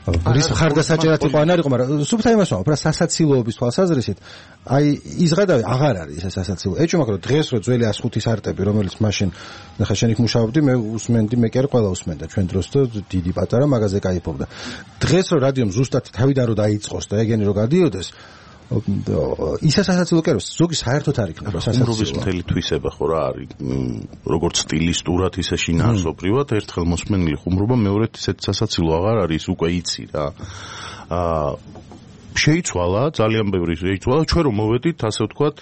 რის ხარდასაჭერად იყო ან არ იყო, მაგრამ სუფთა იმას ვამბობ, რა სასაცილოების თვალსაზრისით, აი ის ღადავი აღარ არის ეს სასაცილო. ეჭვმა რომ დღეს რო ძველი ას ხუთის არტები, რომელიც მაშინ ნახე შენ იქ მუშაობდი, მე უსმენდი, მე კი არ ყველა usმენდა ჩვენ დროს და დიდი პატარა მაგაზე кайფობდა. დღეს რო რადიომ ზუსტად თავიდან რო დაიწყოს და ეგენი რო გადიოდეს ისა სასაცილო კი არის, ზოგი საერთოდ არ იქნება სასაცილო. ხუმრობის მთელი თვისება ხო რა არის, როგორც სტილისტურად ისე შინაარსობრივად, ერთხელ მოსმენილი ხუმრობა, მეორედ ისეთ სასაცილო აღარ არის, უკვე იცი რა. აა შეიცვალა, ძალიან ბევრი შეიცვალა, ჩვენ რომ მოვედით, ასე ვთქვათ,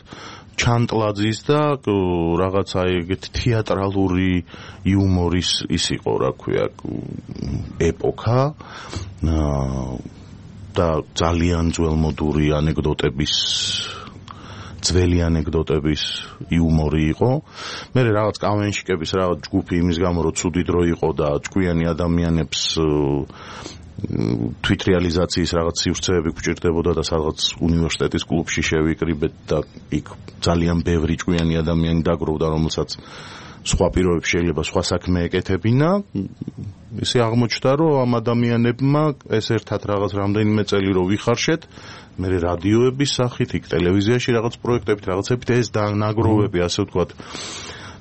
ჩანტლაძის და რაღაცა ეგეთი თეატრალური იუმორის ის იყო, რა ქვია, ეპოქა. აა და ძალიან ძველმოდური ანეკდოტების ძველი ანეკდოტების იუმორი იყო. მე რაღაც კავენშიკების რაღაც ჯგუფი იმის გამო რომ ცუდი დრო იყო და ჭკვიანი ადამიანებს თვითრეალიზაციის რაღაც სივრცეები გვჭირდებოდა და სადღაც უნივერსიტეტის კლუბში შევიკრიბეთ და იქ ძალიან ბევრი ჭკვიანი ადამიანი დაგროვდა, რომელსაც სხვა პირობებში შეიძლება სხვა საქმე ეკეთებინა. ისე აღმოჩნდა, რომ ამ ადამიანებმა ეს ერთად რაღაც რამდენიმე წელი რო ვიხარშეთ, მე რადიოების სახით, იქ ტელევიზიაში რაღაც პროექტებით, რაღაცებით ეს დანაგროვები, ასე ვთქვათ,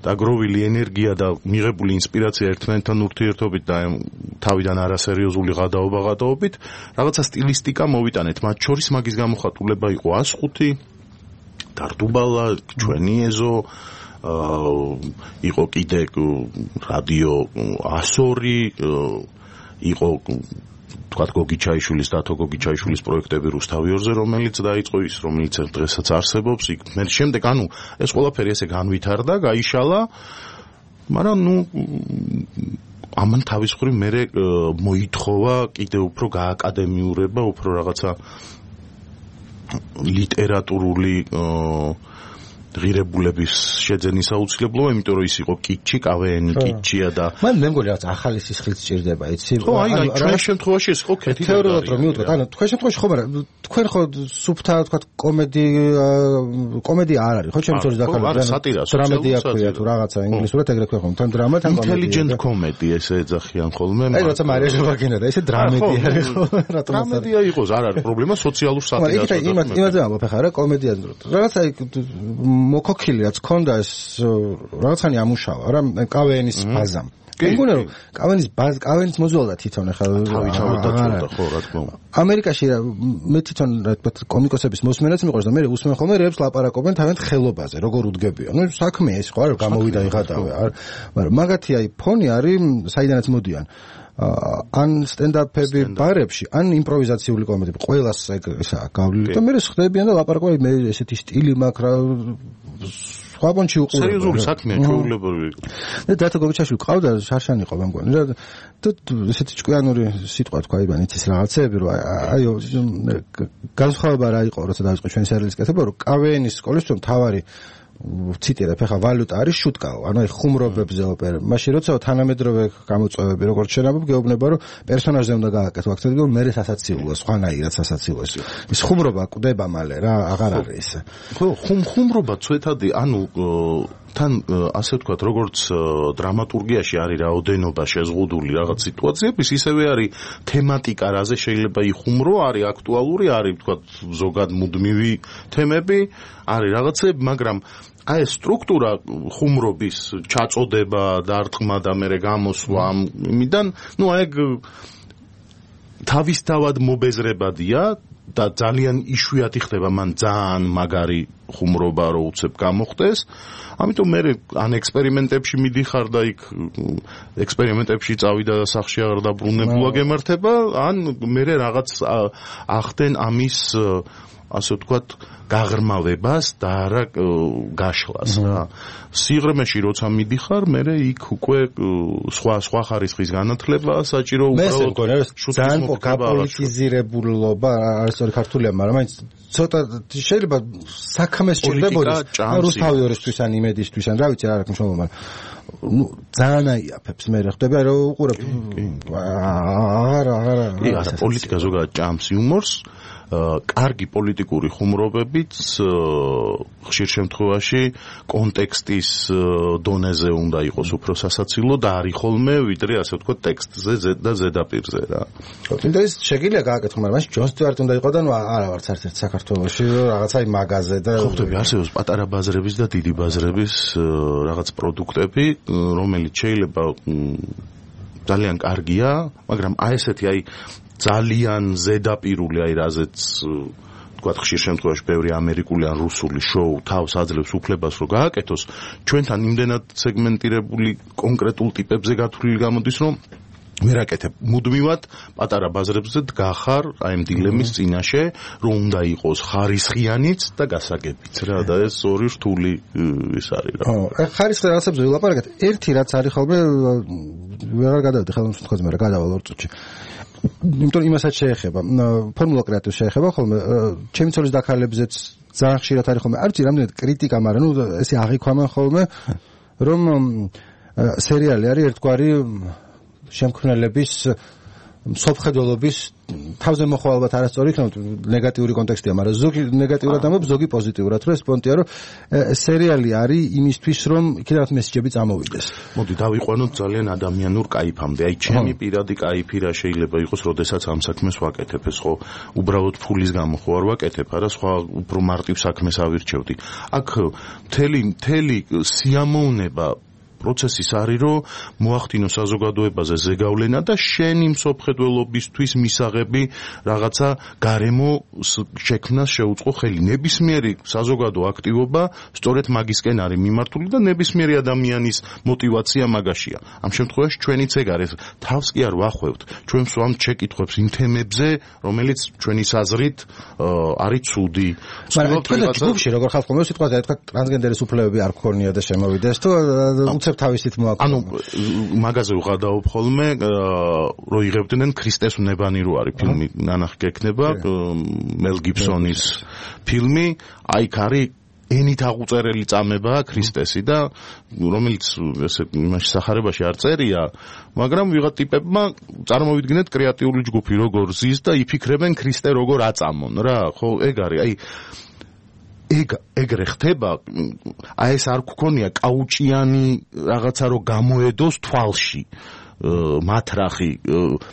დაგროვილი ენერგია და მიღებული ინსპირაცია ერთმანეთთან ურთიერთობით და თავიდან არასერიოზული გადაობა გადაობით, რაღაცა სტილისტიკა მოვიტანეთ. მათ შორის მაგის გამოხატულება იყო ას ხუთი, დარდუბალა, ჩვენი ეზო, იყო კიდე რადიო ასორი, იყო თქვათ გოგიჩაიშვილის და თო გოგიჩაიშვილის პროექტები რუსთავი ორზე, რომელიც დაიწყო ის, რომელიც დღესაც არსებობს. იქ მე შემდეგ ანუ ეს ყველაფერი ესე განვითარდა, გაიშალა, მაგრამ ნუ ამან თავის მხრივ მე მოითხოვა კიდე უფრო გააკადემიურება, უფრო რაღაცა ლიტერატურული ღირებულების შეძენის აუცილებლობა, იმიტომ რომ ის იყო კიჩი, კავეენი კიჩია და მან მე მგონი რაღაც ახალი სისხლიც სჭირდება, იცი? ხო, აი, ჩვენ შემთხვევაში ეს ხო კეთილი თეორიულად რომ მივუდგეთ, ანუ თქვენ შემთხვევაში ხო, მაგრამ თქვენ ხო სუფთა, თქვათ, კომედი კომედია არ არის, ხო, ჩემი შორის დაკავებული, დრამედია ქვია თუ რაღაცა ინგლისურად ეგრე ქვია ხომ, თან დრამა, თან კომედია. Intelligent comedy ესე ეძახიან ხოლმე. აი, როცა მარია ჟვაგინა და ესე დრამედია არის ხო? დრამედია იყოს, არ არის პრობლემა, სოციალურ სატირას. აი, იმათ იმათზე ამბობ ხა რა, კომედია რაღაცა მოკოქილიაც ქონდა ეს რაღაცანი ამუშავა რა კავენის ბაზამ. მე მგონია რომ კავენის ბაზ კავენის მოზვალდა თვითონ ხა თავი ჩავდაჭრდა ხო რა თქმა უნდა. ამერიკაში მე თვითონ რა თქმა უნდა კომიკოსების მოსმენაც მიყვარს და მე უსმენ ხოლმე რეებს ლაპარაკობენ თავიანთ ხელობაზე როგორ უდგებიან. ნუ საქმე ეს ხო არ გამოვიდა იღადავე არ მაგრამ მაგათი აი ფონი არის საიდანაც მოდიან. ან სტენდაპები ბარებში, ან იმპროვიზაციული კომედიები, ყველას ესაა გავლილი და მე ხდებიან და ლაპარაკობენ მე ესეთი სტილი მაქვს რა სხვა პონჩი უყურებ. სერიოზული საქმეა, ჩვეულებრივი. და დათო გოგიჩაშვილი ყავდა, შარშანი ყავდა მგონი რა და ესეთი ჭკვიანური სიტყვა თქვა იბან იცის რაღაცეები რომ აი განსხვავება რა იყო როცა დაიწყო ჩვენი სერიალის კეთება რომ კავენის სკოლის თუ თავარი ციტირებ ახლა ვალუტა არის შუტკაო, ანუ აი ხუმრობებზე ოპერა. მაშინ როცა თანამედროვე გამოწვევები როგორც შენაბობ გეუბნება რომ პერსონაჟზე უნდა გააკეთო აქცენტი, რომ მე სასაცილოა, სხვანაირად სასაცილოა. ის ხუმრობა კვდება მალე რა, აღარ არის ეს. ხო, ხუმ ხუმრობა ცვეთადი, ანუ თან ასე ვთქვათ, როგორც დრამატურგიაში არის რაოდენობა შეზღუდული რაღაც სიტუაციების, ისევე არის თემატიკა, რაზე შეიძლება იხუმრო, არის აქტუალური, არის ვთქვათ ზოგად მუდმივი თემები, არის რაღაცები, მაგრამ აი ეს სტრუქტურა ხუმრობის ჩაწოდება, დარტყმა და მერე გამოსვლა ამიდან, ნუ აი თავისთავად მობეზრებადია და ძალიან იშვიათი ხდება მან ძალიან მაგარი ხუმრობა რო უცებ გამოხდეს. ამიტომ მე ან ექსპერიმენტებში მიდიხარ და იქ ექსპერიმენტებში წავიდა და სახში აღარ დაბრუნებულა გემართება, ან მე რაღაც ახდენ ამის ასე ვთქვათ გაღრმავებას და არა გაშლას რა. სიღრმეში როცა მიდიხარ, მე იქ უკვე სხვა სხვა ხარისხის განათლება საჭირო უბრალოდ ძალიან გაპოლიტიზირებულობა არის სწორი ქართულია, მაგრამ მაინც ცოტა შეიძლება საქმეს ჭირდებოდა რუსთავი ორისთვის ან იმედისთვის ან რა ვიცი რა აქვს შემო, მაგრამ ნუ ძალიან აიაფებს მე ხდება რომ უყურებ არა არა არა პოლიტიკა ზოგადად ჭამს იუმორს კარგი პოლიტიკური ხუმრობებიც ხშირ შემთხვევაში კონტექსტის დონეზე უნდა იყოს უფრო სასაცილო და არის ხოლმე ვიდრე ასე ვთქვათ ტექსტზე და ზედაპირზე რა. თუნდაც შეგიძლია გააკეთო, მაგრამ მაშინ ჯონ სტიუარტი უნდა იყო და ნუ არა ვარც ერთ-ერთ საქართველოში რაღაცა იმ მაღაზე და ხო ხტები არსებობს პატარა ბაზრების და დიდი ბაზრების რაღაც პროდუქტები, რომელიც შეიძლება ძალიან კარგია, მაგრამ აი ესეთი აი ძალიან ზედაპირული აი რაზეც თქვათ ხშირ შემთხვევაში ბევრი ამერიკული ან რუსული შოუ თავს აძლევს უფლებას რომ გააკეთოს, ჩვენთან იმდენად სეგმენტირებული კონკრეტულ ტიპებზე გათვლილი გამოდის, რომ ვერ აკეთებ მუდმივად პატარა ბაზრებზე დგახარ აი ამ დილემის წინაშე, რომ უნდა იყოს ხარისხიანიც და გასაგებიც რა და ეს ორი რთული ის არის რა. ხო, ხარისხი რაღაცებზე ვილაპარაკეთ. ერთი რაც არის ხოლმე ვერ გადავედი ხელმისაწვდომაზე, მაგრამ გადავალ ორ წუთში. იმიტომ იმასაც შეეხება, ფორმულა კრეატივს შეეხება ხოლმე, ჩემი ცოლის დაქალებზეც ძალიან ხშირად არის ხოლმე, არ ვიცი რამდენად კრიტიკა, მაგრამ ნუ ესე აღიქვამენ ხოლმე, რომ სერიალი არის ერთგვარი შემქმნელების მსოფლმხედველობის თავზე მოხვა ალბათ არასწორი იქნება, ნეგატიური კონტექსტია, მაგრამ ზოგი ნეგატიურად ამბობ, ზოგი პოზიტიურად, რომ ეს პონტია, რომ სერიალი არის იმისთვის, რომ იქიდან მესიჯები წამოვიდეს. მოდი დავიყვანოთ ძალიან ადამიანურ კაიფამდე. აი ჩემი პირადი კაიფი რა შეიძლება იყოს, როდესაც ამ საქმეს ვაკეთებ, ეს ხო უბრალოდ ფულის გამო ხო არ ვაკეთებ, არა სხვა უფრო მარტივ საქმეს ავირჩევდი. აქ მთელი მთელი სიამოვნება პროცესის არის, რომ მოახდინო საზოგადოებაზე ზეგავლენა და შენი მსოფლმხედველობისთვის მისაღები რაღაცა გარემო შექმნას შეუწყო ხელი. ნებისმიერი საზოგადო აქტივობა სწორედ მაგისკენ არის მიმართული და ნებისმიერი ადამიანის мотиваცია მაგაშია. ამ შემთხვევაში ჩვენიც ეგ არის. თავს კი არ ვახვევთ. ჩვენ ვსვამთ შეკითხვებს იმ თემებზე, რომელიც ჩვენი საზრით არის ცუდი. მაგრამ თქვენ ჯგუფში როგორ ხალხო მე სიტყვაზე თქვა ტრანსგენდერის უფლებები არ გქონია და შემოვიდეს თუ თავისით მოაქვს. ანუ მაგაზე ვღადაობ ხოლმე, რომ იღებდნენ ქრისტეს უნებანი რო არის ფილმი, ნანახი გექნება, მელ გიბსონის ფილმი, აი ქარი ენით აღუწერელი წამებაა ქრისტესი და რომელიც ესე იმაში სახარებაში არ წერია, მაგრამ ვიღა ტიპებმა წარმოვიდგინეთ კრეატიული ჯგუფი როგორ ზის და იფიქრებენ ქრისტე როგორ აწამონ რა, ხო ეგ არის, აი ეგ ეგრე ხდება, აი ეს არ გქონია კაუჭიანი რაღაცა რომ გამოედოს თვალში მათრახი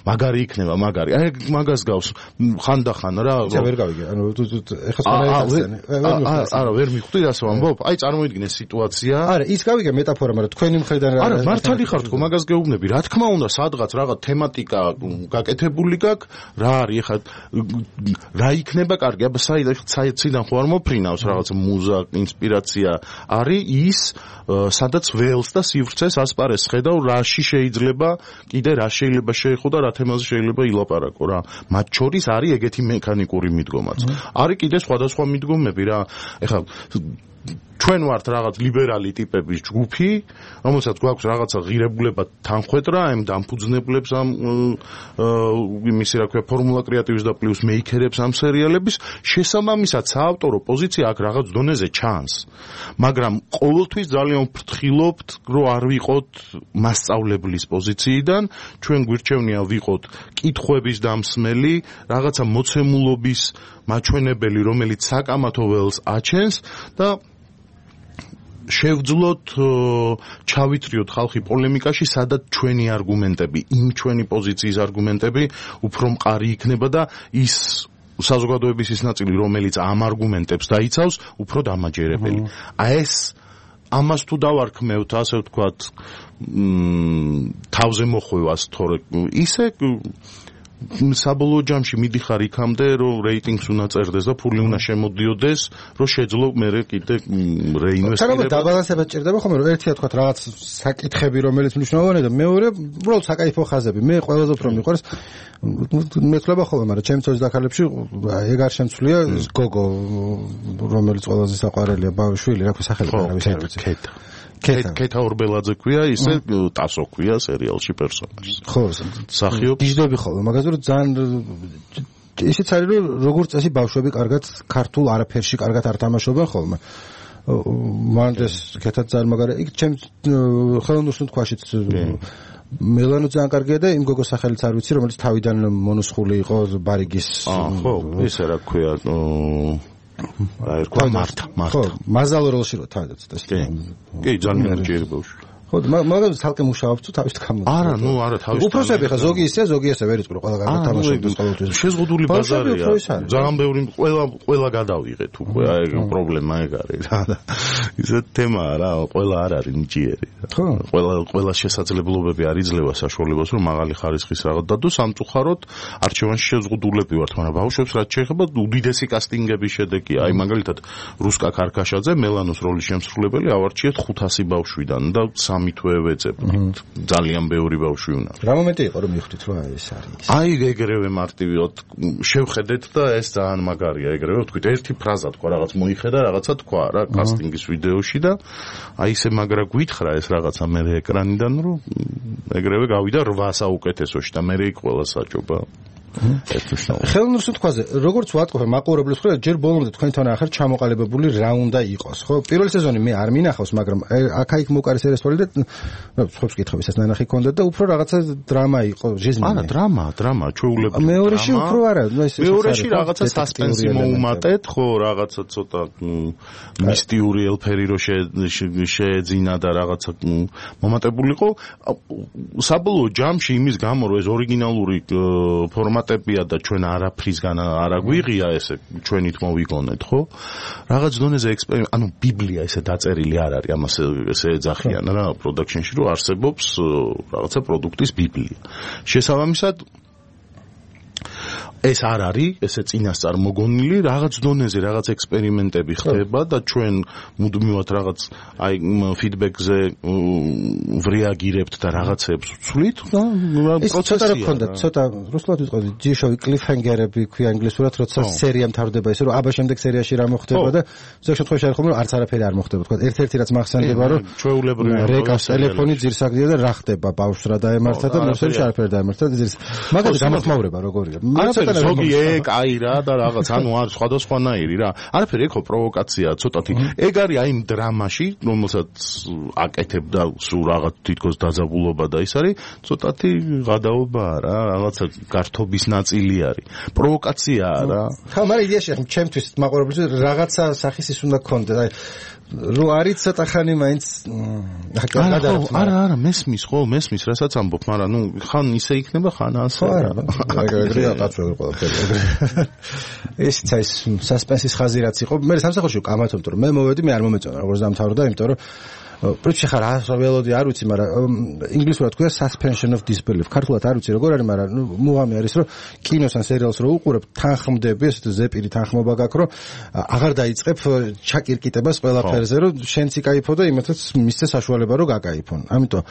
მაგარი იქნება მაგარი. აი მაგას გავს ხანდახან რა. იცი ვერ გავიგე. ანუ ეხლა სწორად არა ვერ მიხვდი ასე ვამბობ. აი წარმოიდგინე სიტუაცია. არა ის გავიგე მეტაფორა, მაგრამ თქვენი მხრიდან რა. არა მართალი ხარ თქო მაგას გეუბნები. რა თქმა უნდა სადღაც რაღაც თემატიკა გაკეთებული გაქვს, რა არის ეხლა რა იქნება კარგი. აბა საიდან ხო არ მოფრინავს რაღაც მუზა, ინსპირაცია არის ის, სადაც ველს და სივრცეს ასპარეს ხედავ, რაში შეიძლება კიდე რა შეიძლება შეეხო და რა თემაზე შეიძლება ილაპარაკო რა. მათ შორის არის ეგეთი მექანიკური მიდგომაც. არის კიდე სხვადასხვა მიდგომები რა. ეხლა ჩვენ ვართ რაღაც ლიბერალი ტიპების ჯგუფი, რომელსაც გვაქვს რაღაცა ღირებულება თანხwebdriver, ამ დამფუძნებლებს ამ იმისი რა ქვია ფორმულა კრეატივის და პლუს მეიქერებს ამ სერიალების, შესაბამისად საავტორო პოზიცია აქ რაღაც დონეზე ჩანს. მაგრამ ყოველთვის ძალიან ვფრთხილობთ, რომ არ ვიყოთ მასწავლებლის პოზიციიდან, ჩვენ გვირჩევნია ვიყოთ კითხვების დამსმელი, რაღაცა მოცემულობის მაჩვენებელი, რომელიც საკამათო ველს აჩენს და შევძლოთ ჩავითრიოთ ხალხი პოლემიკაში, სადაც ჩვენი არგუმენტები, იმ ჩვენი პოზიციის არგუმენტები უფრო მყარი იქნება და ის საზოგადოების ის ნაწილი, რომელიც ამ არგუმენტებს დაიცავს, უფრო დამაჯერებელი. აი ეს ამას თუ დავარქმევთ, ასე ვთქვათ, თავზე მოხვევას, თორე ისე საბოლოო ჯამში მიდიხარ იქამდე, რომ რეიტინგს უნდა წერდეს და ფული უნდა შემოდიოდეს, რომ შეძლო მერე კიდე რეინვესტირება. თანაბარ დაბალანსება ჭირდება ხოლმე, რომ ერთია თქვა რაღაც საკითხები, რომელიც მნიშვნელოვანია და მეორე უბრალოდ საკაიფო ხაზები. მე ყველაზე უფრო მიყვარს მეცლება ხოლმე, მაგრამ ჩემი ცოლის დაქალებში ეგ არ შემცვლია გოგო, რომელიც ყველაზე საყვარელია, ბავშვილი, რა ქვია სახელი არა ვიცი არ ვიცი. ქეთა. ქეთა ორბელაძე ქვია, ისე ტასო ქვია სერიალში პერსონაჟს. ხო, სახიობს. გიждდები ხოლმე, მაგაზე რომ ძალიან ისიც არის, რომ როგორც წესი ბავშვები კარგად ქართულ არაფერში კარგად არ თამაშობენ ხოლმე. მანდეს ქეთა ძალიან მაგარი. იქ ჩემ ხელოვნურ თქვაშიც მელანო ძალიან კარგია და იმ გოგოს სახელიც არ ვიცი, რომელიც თავიდან მონუსხული იყო ბარიგის. აა, ხო, ისე რა ქვია, აი, რა მართა, მართა. ხო, მაზალ როლში რო თავიდანაც ეს. კი. კი, ძალიან ჯერ ბავშვი. ხო, მაგრამ თალკე მუშაობს თუ თავის თქმა. არა, ნუ არა, თავის. უფროსები ხა ზოგი ისე, ზოგი ესე ვერ იწყრო, ყველა კარგად თამაშობს ყოველთვის. შეზღუდული ბაზარია. ძალიან ბევრი ყველა ყველა გადავიღეთ უკვე, აი პრობლემა ეგ არის რა. ისეთ თემაა რა, ყველა არ არის ნიჭიერი. ხო. ყველა ყველა შესაძლებლობები არ იძლევა საშუალებას, რომ მაღალი ხარისხის რაღაც დადო, სამწუხაროდ არჩევანში შეზღუდულები ვართ, მაგრამ ბავშვებს რაც შეეხება უდიდესი კასტინგების შედეგია. აი მაგალითად რუსკა ქარქაშაძე მელანოს როლის შემსრულებელი ავარჩიეთ ხუთასი ბავშვიდან და სამი თვე ვეძებდით. ძალიან ბევრი ბავშვი უნდა. რა მომენტი იყო რომ მიხვდით რომ ეს არის? აი ეგრევე მარტივად შევხედეთ და ეს ძალიან მაგარია ეგრევე ვთქვით ერთი ფრაზა თქვა რაღაც მოიხედა რაღაცა თქვა რა კასტინგის ვიდეოში და აი ესე მაგრა გვითხრა ეს რაღაცა მე ეკრანიდან რომ ეგრევე გავიდა რვა საუკეთესოში და მე იქ ყველა საჭობა. ხელოვნურ სიტყვაზე, როგორც ვატყობ მაყურებლის მხრივ, ჯერ ბოლომდე თქვენთან ახალ ჩამოყალიბებული რა უნდა იყოს, ხო? პირველი სეზონი მე არ მინახავს, მაგრამ აქა-იქ მოკარი სერიალი და სხვებს კითხავ, ისაც ნანახი ქონდა და უფრო რაღაცა დრამა იყო, ჟიზმი. არა, დრამა, დრამა, ჩვეულებრივი. მეორეში უფრო არა, ეს მეორეში რაღაცა სასპენსი მოუმატეთ, ხო, რაღაცა ცოტა მისტიური ელფერი რო შეეძინა და რაღაცა მომატებულიყო. საბოლოო ჯამში იმის გამო, რომ ეს ორიგინალური ფორმატებია და ჩვენ არაფრისგან არ აგვიღია ესე ჩვენით მოვიგონეთ, ხო? რაღაც დონეზე ექსპერიმენტ, ანუ ბიბლია ესე დაწერილი არ არის, ამას ესე ეძახიან რა პროდაქშენში, რომ არსებობს რაღაცა პროდუქტის ბიბლია. შესაბამისად ეს არ არის, ესე წინასწარ მოგონილი, რაღაც დონეზე რაღაც ექსპერიმენტები ხდება და ჩვენ მუდმივად რაღაც აი ფიდბექზე ვრეაგირებთ და რაღაცებს ვცვლით და პროცესია. ცოტა რა ქონდა, ცოტა რუსულად ვიტყოდი, ჯიშოვი კლიფჰენგერები ქვია ინგლისურად, როცა სერია მთავრდება ისე რომ აბა შემდეგ სერიაში რა მოხდება და ზოგ შემთხვევაში არის ხომ არც არაფერი არ მოხდება, თქვა ერთ-ერთი რაც მახსენდება რომ ჩვეულებრივი რეკას ტელეფონი ძირს აგდია და რა ხდება ბავშვს რა დაემართა და მოსელში არაფერი დაემართა და ძირს მაგალითად გამოხმაურება როგორია. ზოგი ეგ აი რა და რაღაც ანუ არის სხვადასხვანაირი რა. არაფერი ეგ ხო პროვოკაციაა ცოტათი. ეგ არის აი იმ დრამაში, რომელსაც აკეთებდა სულ რაღაც თითქოს დაძაბულობა და ის არის ცოტათი გადაობაა რა, რაღაცა გართობის ნაწილი არის. პროვოკაციაა რა. ხა მაგრამ იდეაში ჩემთვის მაყურებელს რაღაცა სახის ის უნდა გქონდეს. აი რო არის ცოტა ხანი მაინც არა არა მესმის ხო მესმის რასაც ამბობ მაგრამ ნუ ხან ისე იქნება ხან ასე რა ეგრეა კაცო ყველაფერი ეს ის სასპენსის ხაზი რაც იყო მე სამსახურში კამათობ რომ მე მოვედი მე არ მომეწონა როგორც დამთავრდა იმიტომ რომ პრინციპი ხარ ველოდი არ ვიცი მაგრამ ინგლისურად ქვია suspension of disbelief ქართულად არ ვიცი როგორ არის მაგრამ ნუ მუღამი არის რომ კინოს ან სერიალს რო უყურებ თანხმდები ესეთი ზეპირი თანხმობა გაქვს რომ აღარ დაიწყებ ჩაკირკიტებას ყველაფერზე რომ შენც იკაიფო და იმათაც მისცე საშუალება რომ გაკაიფონ ამიტომ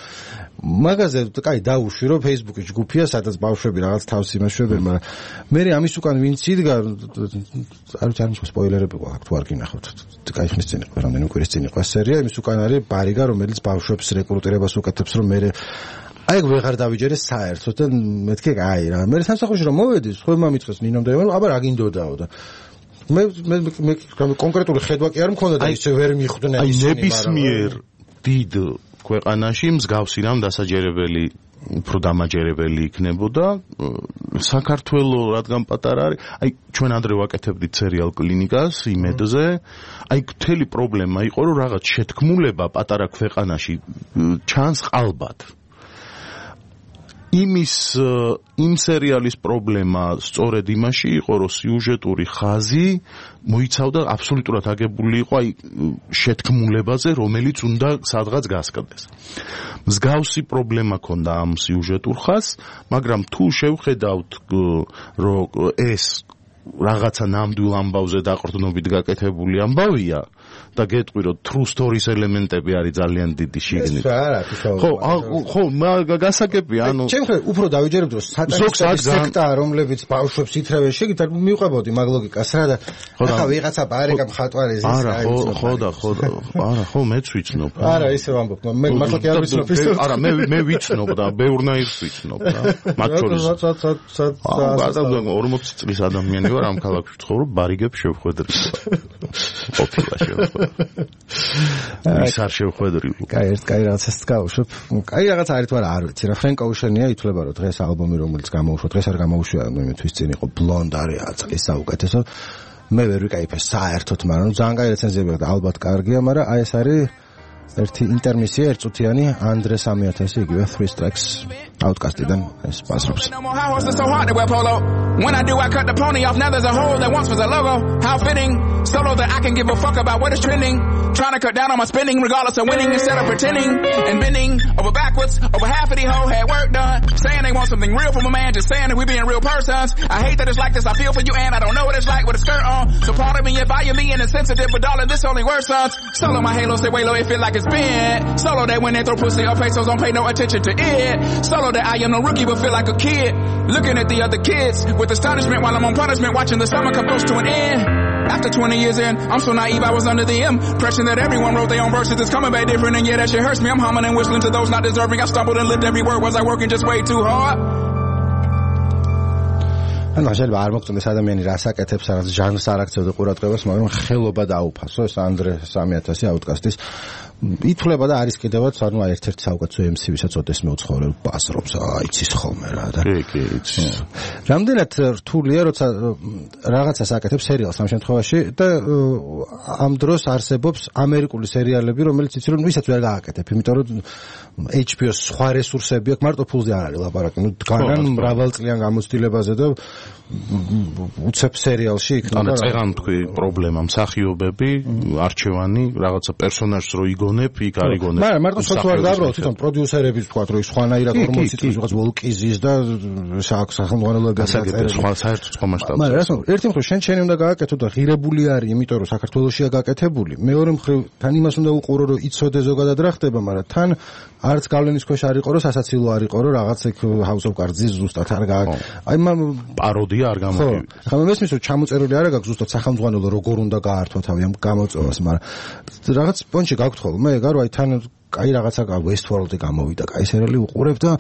მაგაზე კაი დაუშვი რომ Facebook-ში ჯგუფია სადაც ბავშვები რაღაც თავს იმაშვებენ მაგრამ მე ამის უკან ვინც იდგა არ ვიცი არ მის სპოილერები გვაქვს თუ არ გინახავთ კაი ხნის წინ იყო რამდენი კვირის წინ იყო სერია იმის უკან არის ბარიგა რომელიც ბავშვებს რეკრუტირებას უკეთებს რომ მე აი ვეღარ დავიჯერე საერთოდ და მეთქე აი რა მე სამსახურში რომ მოვედი სხვა მომიწეს ნინომ და აბა რა გინდოდაო და მე მე კონკრეტული ხედვა კი არ მქონდა და ისე ვერ მიხვდნენ აი ნებისმიერ დიდ ქვეყანაში მსგავსი რამ დასაჯერებელი უფრო დამაჯერებელი იქნებოდა საქართველოს რადგან პატარა არის აი ჩვენ ადრე ვაკეთებდით სერიალ კლინიკას იმედზე აი მთელი პრობლემა იყო რომ რაღაც შეთქმულება პატარა ქვეყანაში ჩანს ყალბად იმის იმ სერიალის პრობლემა სწორედ იმაში იყო რომ სიუჟეტური ხაზი მოიცავდა აბსოლუტურად აგებული იყო აი შეთქმულებაზე რომელიც უნდა სადღაც გასკდეს მსგავსი პრობლემა ქონდა ამ სიუჟეტურ ხაზს მაგრამ თუ შევხედავთ რომ ეს რაღაცა ნამდვილ ამბავზე დაყრდნობით გაკეთებული ამბავია და გეტყვი რომ true stories ელემენტები არის ძალიან დიდი შიგნით. ხო, ხო, გასაგებია, ანუ ჩემ ხელ უფრო დავიჯერებდი რომ სატანისტების სექტა რომლებიც ბავშვებს ითრევენ შეგით არ მივყვებოდი მაგ ლოგიკას რა და ახლა ვიღაცა ბარეკა მხატვარი ზის არა, ხო, ხო და ხო, არა, ხო, მეც ვიცნობ. არა, ისე ვამბობ, მე მართლა კი არ ვიცნობ ის. არა, მე მე ვიცნობ და ბევრნაირს ვიცნობ რა. მათ შორის. სად სად სად ორმოცი წლის ადამიანი ვარ ვარ ამ ქალაქში ვცხოვრობ, ბარიგებს შევხვედრი. ყოფილა შევხვედრი. ის არ შევხვედრი. კაი, ერთ კაი რაღაცას გავუშვებ. კაი რაღაც არის თუ არა, არ ვიცი რა. ფრენკ ოუშენია ითვლება რომ დღეს ალბომი რომელიც გამოუშვა, დღეს არ გამოუშვა, მე თვის წინ იყო ბლონდ არის აწყის საუკეთესო. მე ვერ ვიკაიფე საერთოდ, მაგრამ ძალიან კაი რეცენზიები აქვს და ალბათ კარგია, მაგრამ აი ეს არის ერთი ინტერმისია, ერთწუთიანი ანდრე სამი ათასი იგივე three tracks Outcast-დან ეს პასრობს. When I do, I cut the pony off. Now there's a hole that once was a logo. How fitting, solo that I can give a fuck about what is trending. Trying to cut down on my spending, regardless of winning, instead of pretending and bending over backwards. Over half of these hoes had work done, saying they want something real from a man, just saying that we being real persons. I hate that it's like this. I feel for you, and I don't know what it's like with a skirt on. So pardon me if I am being insensitive, but darling, this only worsens. Solo my halo, say way low, it feel like it's been. Solo that when they throw pussy or pesos, don't pay no attention to it. Solo that I am no rookie, but feel like a kid, looking at the other kids with astonishment while I'm on punishment, watching the summer come close to an end. After twenty years in, I'm so naive, I was under the impression that everyone wrote their own verses. It's coming back different, and yeah, that shit hurts me. I'm humming and whistling to those not deserving. I stumbled and lived every word. Was I working just way too hard? ანუ შეიძლება არ მოგწონდეს ადამიანი რას აკეთებს, რაღაც ჟანრს არ აქცევდა ყურადღებას, მაგრამ ხელობა დაუფასო ეს ანდრე სამი ათასი Outcast-ის ითვლება და არის კიდევაც, ანუ ერთ-ერთი საუკეთესო ემ სი, ვისაც ოდესმე უცხოვრებ პასრობს, აი იცის ხოლმე რა და. კი, კი, იცის. რამდენად რთულია, როცა რაღაცას აკეთებს სერიალს ამ შემთხვევაში და ამ დროს არსებობს ამერიკული სერიალები, რომელიც იცი რომ ვისაც ვერ გააკეთებ, იმიტომ რომ ეიჩ პი ოს სხვა რესურსები აქვს, მარტო ფულზე არ არის ლაპარაკი, ნუ დგანან მრავალწლიან გამოცდილებაზე და უცებ სერიალში იქნება. ანუ წერან თქვი პრობლემა, მსახიობები, არჩევანი, რაღაცა პერსონაჟს რო იგონებ, იქ არ იგონებ. მაგრამ მარტო სოც არ დაბრუნდა, თვითონ პროდიუსერები თქვა, რომ სხვანაირად ორმოცი წლის რაღაც ვოლკიზის და სახელმწიფო გასაგებია, სხვა საერთოდ სხვა მასშტაბზე. მაგრამ რა თქმა უნდა, ერთი მხრივ შენ შენი უნდა გააკეთო და ღირებული არის, იმიტომ რომ საქართველოშია გაკეთებული. მეორე მხრივ თან იმას უნდა უყურო, რომ იცოდე ზოგადად რა ხდება, მაგრამ თან არც გავლენის ქვეშ არ იყო, რომ სასაცილო არ იყო, რომ რაღაც ეგ House of Cards-ის ზუსტად არ გააკეთე. აი მამ პაროდია არ გამოვიდა. ხო, ხომ მესმის რომ ჩამოწერილი არ აქვს ზუსტად სახელმძღვანელო როგორ უნდა გაართვა თავი ამ გამოწვევას, მაგრამ რაღაც პონჩი გაქვთ ხოლმე, ეგ არის აი თან კაი რაღაცა Westworld-ი გამოვიდა, კაი სერიალი უყურებ და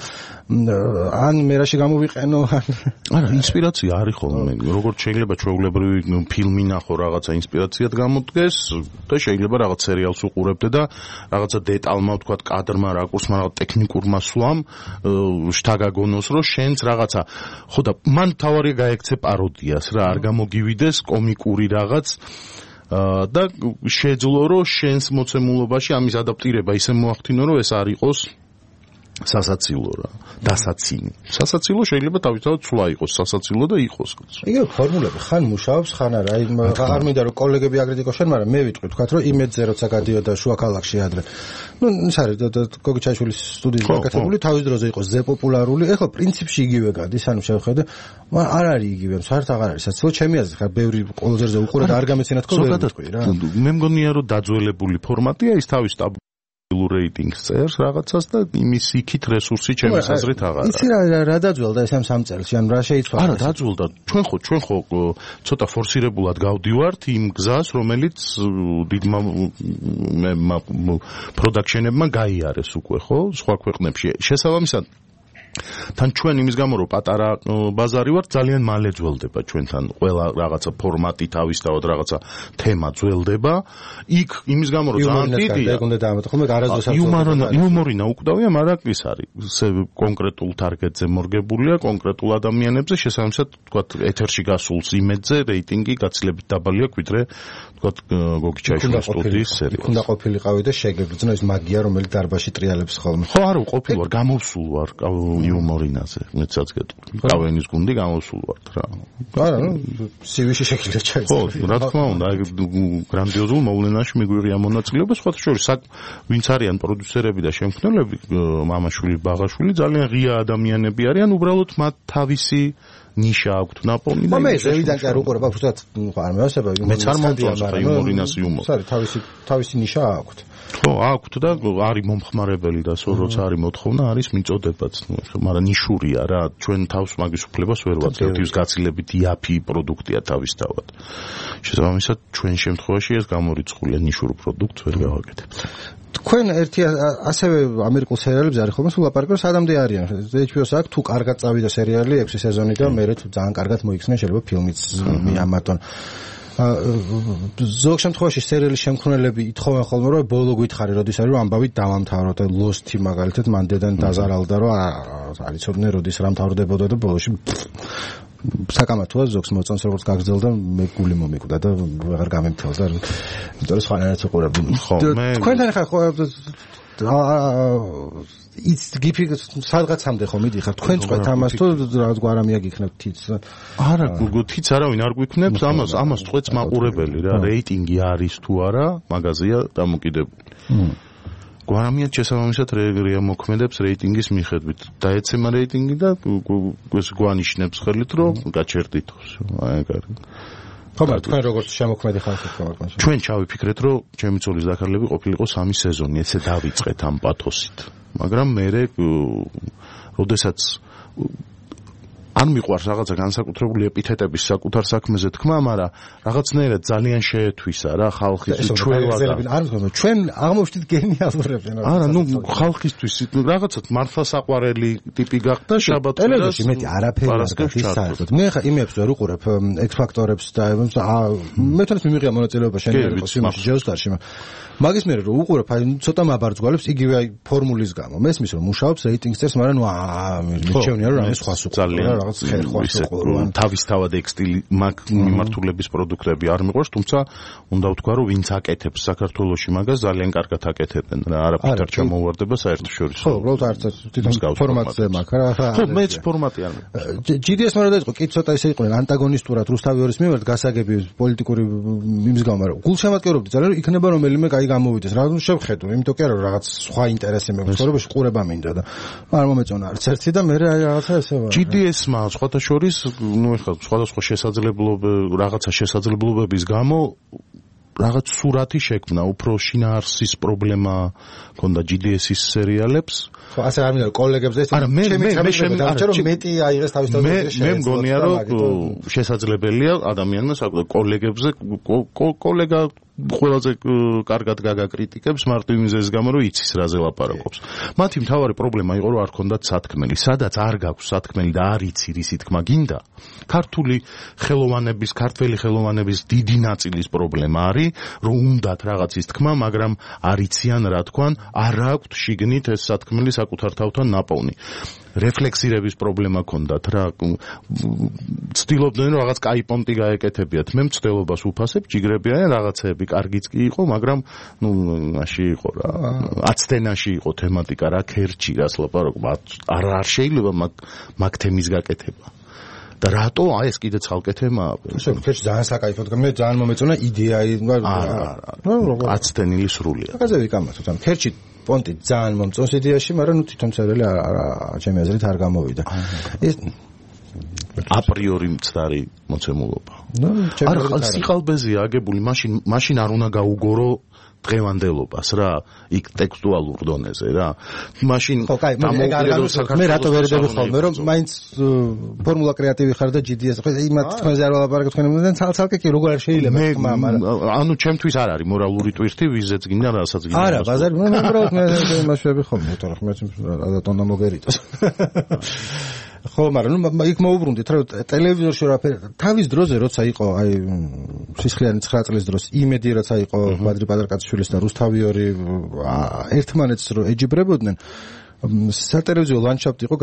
ან მერაში გამოვიყენო. არა, ინსპირაცია არის ხოლმე. როგორც შეიძლება ჩვეულებრივი ფილმი ნახო, რაღაცა ინსპირაციად გამოდგეს და შეიძლება რაღაც სერიალს უყურებდე და რაღაცა დეტალმა, ვთქვათ, კადრმა, რაკურსმა, რაღაც ტექნიკურმა სვლამ შთაგაგონოს, რომ შენც რაღაცა ხო და მან თავარია გაექცე პაროდიას რა, არ გამოგივიდეს კომიკური რაღაც და შეძლო რომ შენს მოცემულობაში ამის ადაპტირება ისე მოახდინო რომ ეს არ იყოს სასაცილო რა, დასაცინი. სასაცილო შეიძლება თავისთავად ცვლა იყოს, სასაცილო და იყოს. იგივე ფორმულები ხან მუშაობს, ხან არა. აი არ მინდა რომ კოლეგები აკრიტიკოს შენ, მაგრამ მე ვიტყვი თქვათ რომ იმედზე როცა გადიოდა შუა ქალაქში ადრე. ნუ ის არის გოგი ჩაიშვილის სტუდიის გაკეთებული, თავის დროზე იყო ზე პოპულარული. ეხლა პრინციპში იგივე გადის, ანუ შევხედე, მაგრამ არ არის იგივე, საერთოდ აღარ არის სასაცილო. ჩემი აზრით, ხა ბევრი კოლეჯერზე უყურე და არ გამეცინათ ხო ვერ ვიტყვი რა. მე მგონია რომ დაძველებული ფორმატია ის თავის რეიტინგს წერს რაღაცას და იმის იქით რესურსი ჩემი აზრით აღარა. იცი რა რა დაძველდა ეს ამ სამ წელში, ან რა შეიცვალა? არა, დაძველდა. ჩვენ ხო ჩვენ ხო ცოტა ფორსირებულად გავდივართ იმ გზას, რომელიც დიდმა პროდაქშენებმა გაიარეს უკვე, ხო, სხვა ქვეყნებში. შესაბამისად თან ჩვენ იმის გამო რომ პატარა ბაზარი ვართ ძალიან მალე ძველდება ჩვენთან ყველა რაღაცა ფორმატი თავისთავად რაღაცა თემა ძველდება იქ იმის გამო რომ ძალიან დიდია ეგ უნდა დაამატო ხოლმე არასდროს არ იუმორინა უკვდავია მაგრამ ის არის კონკრეტულ ტარგეტზე მორგებულია კონკრეტულ ადამიანებზე შესაბამისად თქვა ეთერში გასულს იმედზე რეიტინგი გაცილებით დაბალი აქვს ვიდრე თქვა გოგი ჩაიშვილის სტუდიის სერიალს უნდა ყოფილიყავი და შეგეგრძნო ის მაგია რომელიც დარბაზში ტრიალებს ხოლმე ხო არა ყოფილ ვარ გამოვსულ ვარ იუმორინაზე მეცაც გეტყვი კავენის გუნდი გამოვსულ ვარ რა არა ნუ სივიში შეგიძლია ჩაიწერო ხო რა თქმა უნდა გრანდიოზულ მოვლენაში მიგვიღია მონაწილეობა სხვათა შორის ვინც არიან პროდიუსერები და შემქმნელები მამაშვილი ბაღაშვილი ძალიან ღია ადამიანები არიან უბრალოდ მათ თავისი ნიშა აქვთ ნაპოვნი და მე ზევიდან კი არ უყურებ აბსოლუტურად არ მეოსება მეც არ მომწონს იუმორინას იუმორი არის თავისი თავისი ნიშა აქვთ ხო აქვთ და არის მომხმარებელი და როცა არის მოთხოვნა არის მიწოდებაც მაგრამ ნიშურია რა ჩვენ თავს მაგის უფლებას ვერ ვაძლევთ ის გაცილებით იაფი პროდუქტია თავისთავად შესაბამისად ჩვენ შემთხვევაში ეს გამორიცხულია ნიშურ პროდუქტს ვერ გავაკეთებთ თქვენ ერთი ასევე ამერიკულ სერიალებზე არის ხოლმე სულ ლაპარაკობ სადამდე არიან ეიჩ პი ოს აქვს თუ კარგად წავიდა სერიალი ექვსი სეზონი და მე თუ ძალიან კარგად მოიქცნენ შეიძლება ფილმიც მიამატონ ზოგ შემთხვევაში სერიალის შემქმნელები ითხოვენ ხოლმე რომ ბოლო გითხარი როდის არის რომ ამბავით დავამთავროთ და ლოსტი მაგალითად მანდედან დაზარალდა რომ არიცოდნენ როდის რა მთავრდებოდა და ბოლოში საკამათოა ზოგს მოწონს როგორც გაგრძელდა მე გული მომიკვდა და ვეღარ გამემთელდა იმიტომ რომ სხვანაირად უყურებდი თქვენთან ხარ ხო ის გიფი სადღაცამდე ხო მიდიხარ თქვენ წვეთ ამას თუ რაღაც გვარამია გიქნებთ თიც არა თიც არავინ არ გვიქნებს ამას ამას წვეთს მაყურებელი რა რეიტინგი არის თუ არა მაგაზია დამოკიდებული გვარამიად შესაბამისად რეაგირია მოქმედებს რეიტინგის მიხედვით დაეცემა რეიტინგი და ეს გვანიშნებს ხელით რომ გაჩერდით აი ეგ არის ხომ თქვენ როგორც შემოქმედი ხალხი ხართ ჩვენ ჩავიფიქრეთ რომ ჩემი ცოლის დაქარლები ყოფილიყო სამი სეზონი ესე დავიწყეთ ამ პათოსით მაგრამ მე როდესაც ან მიყვარს რაღაცა განსაკუთრებული ეპითეტების საკუთარ საქმეზე თქმა, მაგრამ რაღაცნაირად ძალიან შეეთვისა რა ხალხის ჩვევა და არ მგონია ჩვენ აღმოჩნდით გენიალურები რა. არა, ნუ ხალხისთვის რაღაცა მართლა საყვარელი ტიპი გახდა შაბათს. ტელევიზორში მეტი არაფერი არ გაქვს საერთოდ. მე ხა იმებს ვერ უყურებ ექს ფაქტორებს და მე თვითონ მიმიღია მონაწილეობა შენერგო სიმაში ჯეოსტარში. მაგის მერე რომ უყურებ, აი ცოტა მაბარძგვალებს იგივე აი ფორმულის გამო. მესმის რომ მუშაობს რეიტინგს წერს, მაგრამ ნუ აა მიჩვენია რომ რამე სხვას უყურებ. რაღაც ხერხვას უყურებ. თავისთავად ექსტილი მიმართულების პროდუქტები არ მიყვარს, თუმცა უნდა ვთქვა რომ ვინც აკეთებს საქართველოში მაგას ძალიან კარგად აკეთებენ რა, არაფერ არ ჩამოვარდება საერთაშორისო. ხო, უბრალოდ არც თვითონ ფორმატზე მაქვს რა. ხო, მეც ფორმატი არ მექვს. ჯი დი ეს მერე დაიწყო, კი ცოტა ისე იყვნენ ანტაგონისტურად რუსთავიორის მიმართ გასაგები პოლიტიკური იმის გამო, მაგრამ გულშემატკივრობდი ძალიან, რომ იქნება რომელიმე კაი გამოვიდეს. რა ნუ შევხედო, იმიტომ კი არა რომ რაღაც სხვა ინტერესი მექვს, ცხოვრებაში ყურება მინდა და არ მომეწონა არც ერთი და მე რაღაცა ესე ვარ. ჯი დი ეს-მა სხვათა შორის, ნუ ეხლა სხვადასხვა შესაძლებლობები, რაღაცა შესაძლებლობების გამო რაღაც სურათი შექმნა, უფრო შინაარსის პრობლემა ქონდა ჯი დი ეს-ის სერიალებს. ხო, ასე არ მინდა კოლეგებზე ეს არა მე მე მე შემიძლია რომ მეტი აიღეს თავისთავად ეს მე მგონია რომ შესაძლებელია ადამიანმა კოლეგებზე კოლეგა ყველაზე კარგად გაგაკრიტიკებს მარტო იმის გამო რომ იცის რაზე ლაპარაკობს. მათი მთავარი პრობლემა იყო რომ არ ქონდათ სათქმელი. სადაც არ გაქვს სათქმელი და არ იცი რისი თქმა გინდა, ქართული ხელოვანების, ქართველი ხელოვანების დიდი ნაწილის პრობლემა არის, რომ უნდათ რაღაცის თქმა, მაგრამ არ იციან რა თქვან, არ აქვთ შიგნით ეს სათქმელი საკუთარ თავთან ნაპოვნი. რეფლექსირების პრობლემა ქონდათ რა. ცდილობდნენ რომ რაღაც კაი პონტი გაეკეთებიათ. მე მცდელობას უფასებ, ჯიგრებიან რაღაცები კარგიც კი იყო, მაგრამ ნუ მაში იყო რა. აცდენაში იყო თემატიკა რა, ქერჩი რას ლაპარაკობ. არ არ შეიძლება მაგ მაგ თემის გაკეთება. და რატო აი ეს კიდე ცალკე თემაა. ისე ქერჩი ძალიან საკაიფოდ, მე ძალიან მომეწონა იდეა. არა, აცდენილი სრულია. მაგაზე ვიკამათოთ, ამ ქერჩი პონტი ძალიან მომწონს იდეაში, მაგრამ ნუ თვითონ სერიალი არა ჩემი აზრით არ გამოვიდა. ეს აპრიორი მცდარი მოცემულობა. არა, სიყალბეზეა აგებული, მაშინ მაშინ არ უნდა გაუგორო დღევანდელობას რა, იქ ტექსტუალურ დონეზე რა. მაშინ მე რატო ვერ დები ხოლმე რომ მაინც ფორმულა კრეატივი ხარ და ჯი დი ეს ხო იმათ თქვენზე არ ვალაპარაკობ თქვენ ცალ-ცალკე კი როგორ არ შეიძლება თქმა, მაგრამ ანუ ჩემთვის არ არის მორალური ტვირთი, ვიზეც გინდა რასაც გინდა. არა, ბაზარი მე უბრალოდ მე იმაშები ხოლმე, იმიტომ რომ მე ადატონდა მოგერიtos. ხო, მაგრამ ნუ იქ მოუბრუნდით რა ტელევიზორში რაფერ თავის დროზე როცა იყო აი სისხლიანი ცხრა წლის დროს იმედი როცა იყო ბადრი პატარკაციშვილის და რუსთავიორი ერთმანეთს რო ეჯიბრებოდნენ სატელევიზიო ლანდშაფტი იყო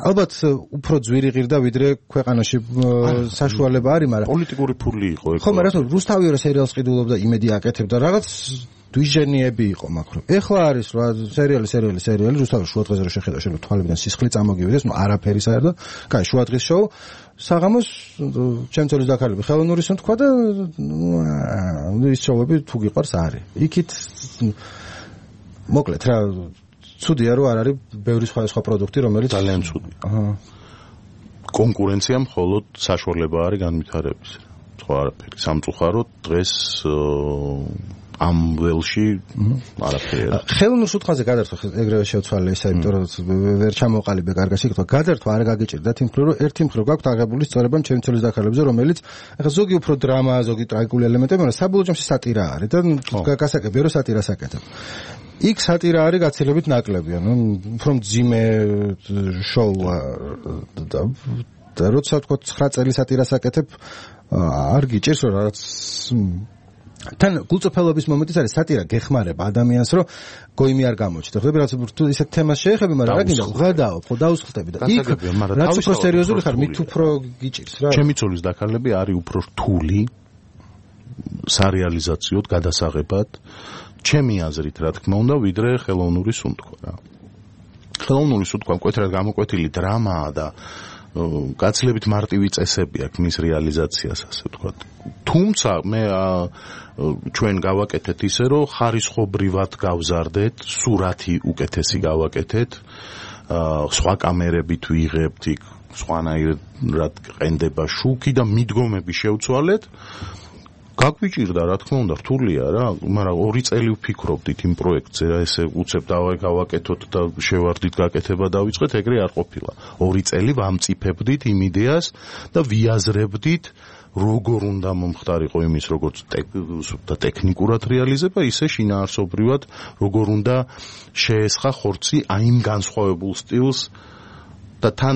ალბათ უფრო ძვირი ღირდა ვიდრე ქვეყანაში საშუალება არის, მაგრამ პოლიტიკური ფული იყო ეგ. ხო, მაგრამ რუსთავიორი სერიალს ყიდულობდა იმედი აკეთებდა რაღაც დვიჟენიები იყო მაგრამ ეხლა არის რა სერიალი სერიალი სერიალი რუსთავის შუადღეზე რო შეხედა შეიძლება თვალებიდან სისხლი წამოგივიდეს, ნუ არაფერი საერთოდ. კაი, შუადღის შოუ საღამოს ჩემ ცოლის დაქარლები ხელოვნურის თქვა და ნუ ის შოუები თუ გიყვარს არის. იქით მოკლედ რა ცუდია რომ არ არის ბევრი სხვადასხვა პროდუქტი რომელიც ძალიან ცუდია. აჰა. კონკურენცია მხოლოდ საშუალება არის განვითარების. სხვა არაფერი. სამწუხაროდ დღეს ამ ველში არაფერი. ხელოვნურ სუთხაზე გადართვა ეგრევე შევცვალე ისა, იმიტომ რომ ვერ ჩამოყალიბე კარგაში, თქვა გადართვა არ გაგიჭირდათ იმ მხრივ, რომ ერთი მხრივ გაქვთ აღებული სწორება ჩემი ცოლის დაქარლებზე, რომელიც ახლა ზოგი უფრო დრამა, ზოგი ტრაგიკული ელემენტები, მაგრამ საბოლოო ჯამში სატირა არის და გასაკეთებია რომ სატირას აკეთებ. იქ სატირა არის გაცილებით ნაკლები, ანუ უფრო მძიმე შოუა და როცა თქვა ცხრა წელი სატირას აკეთებ, არ გიჭირს რომ რაღაც თან გულწრფელობის მომენტიც არის სატირა გეხმარება ადამიანს რომ გოიმი არ გამოჩნდეს. ხდება რაც თუ ისეთ თემას შეეხები, მაგრამ რა გინდა ვღადაო, ხო დაუსხლტები და იქ რაც უფრო სერიოზული ხარ, მით უფრო გიჭირს რა. ჩემი ცოლის დაკარლები არის უფრო რთული სარეალიზაციოდ გადასაღებად. ჩემი აზრით, რა თქმა უნდა, ვიდრე ხელოვნური სუნთქვა რა. ხელოვნური სუნთქვა მკვეთრად გამოკვეთილი დრამაა და გაცილებით მარტივი წესები აქვს მის რეალიზაციას, ასე ვთქვათ. თუმცა მე ჩვენ გავაკეთეთ ისე, რომ ხარისხობრივად გავზარდეთ, სურათი უკეთესი გავაკეთეთ, სხვა კამერებით ვიღებთ იქ სხვანაირად ყენდება შუქი და მიდგომები შევცვალეთ. გაგვიჭირდა, რა თქმა უნდა, რთულია რა, მაგრამ ორი წელი ვფიქრობდით იმ პროექტზე რა, ესე უცებ დავაკეთოთ და შევარდით გაკეთება დავიწყეთ, ეგრე არ ყოფილა. ორი წელი ვამწიფებდით იმ იდეას და ვიაზრებდით, როგორ უნდა მომხდარიყო იმის, როგორც და ტექნიკურად რეალიზება, ისე შინაარსობრივად, როგორ უნდა შეესხა ხორცი აიმ განსხვავებულ სტილს და თან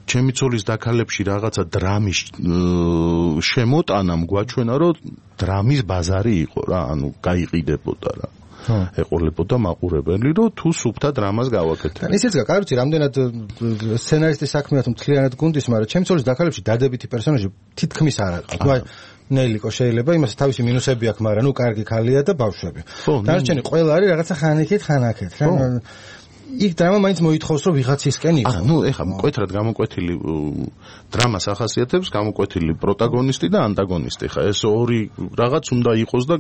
ჩემი ცოლის დაკალებში რაღაცა დრამის შემოტანამ გვაჩვენა, რომ დრამის ბაზარი იყო რა, ანუ გაიყიდებოდა რა. ეყოლებოდა მაყურებელი, რომ თუ სუფთა დრამას გავაკეთებ. ისეც გაკაროჩი, რამდენად სცენარისტის საქმეა თუ მთლიანად გუნდის, მაგრამ ჩემი ცოლის დაკალებში დადებითი პერსონაჟი თითქმის არ აქვს. ნუ ნელიკო შეიძლება იმას თავისი მინუსები აქვს, მაგრამ ნუ კარგი ქალია და ბავშვები. დარჩენი ყველა არის რაღაცა ხანიქით, ხანაკეთ. იქ დრამა მაინც მოითხოვს რომ ვიღაცისკენ იყო. აა, ნუ ეხლა მკვეთრად გამოკვეთილი დრამას ახასიათებს გამოკვეთილი პროტაგონისტი და ანტაგონისტი. ხა ეს ორი რაღაც უნდა იყოს და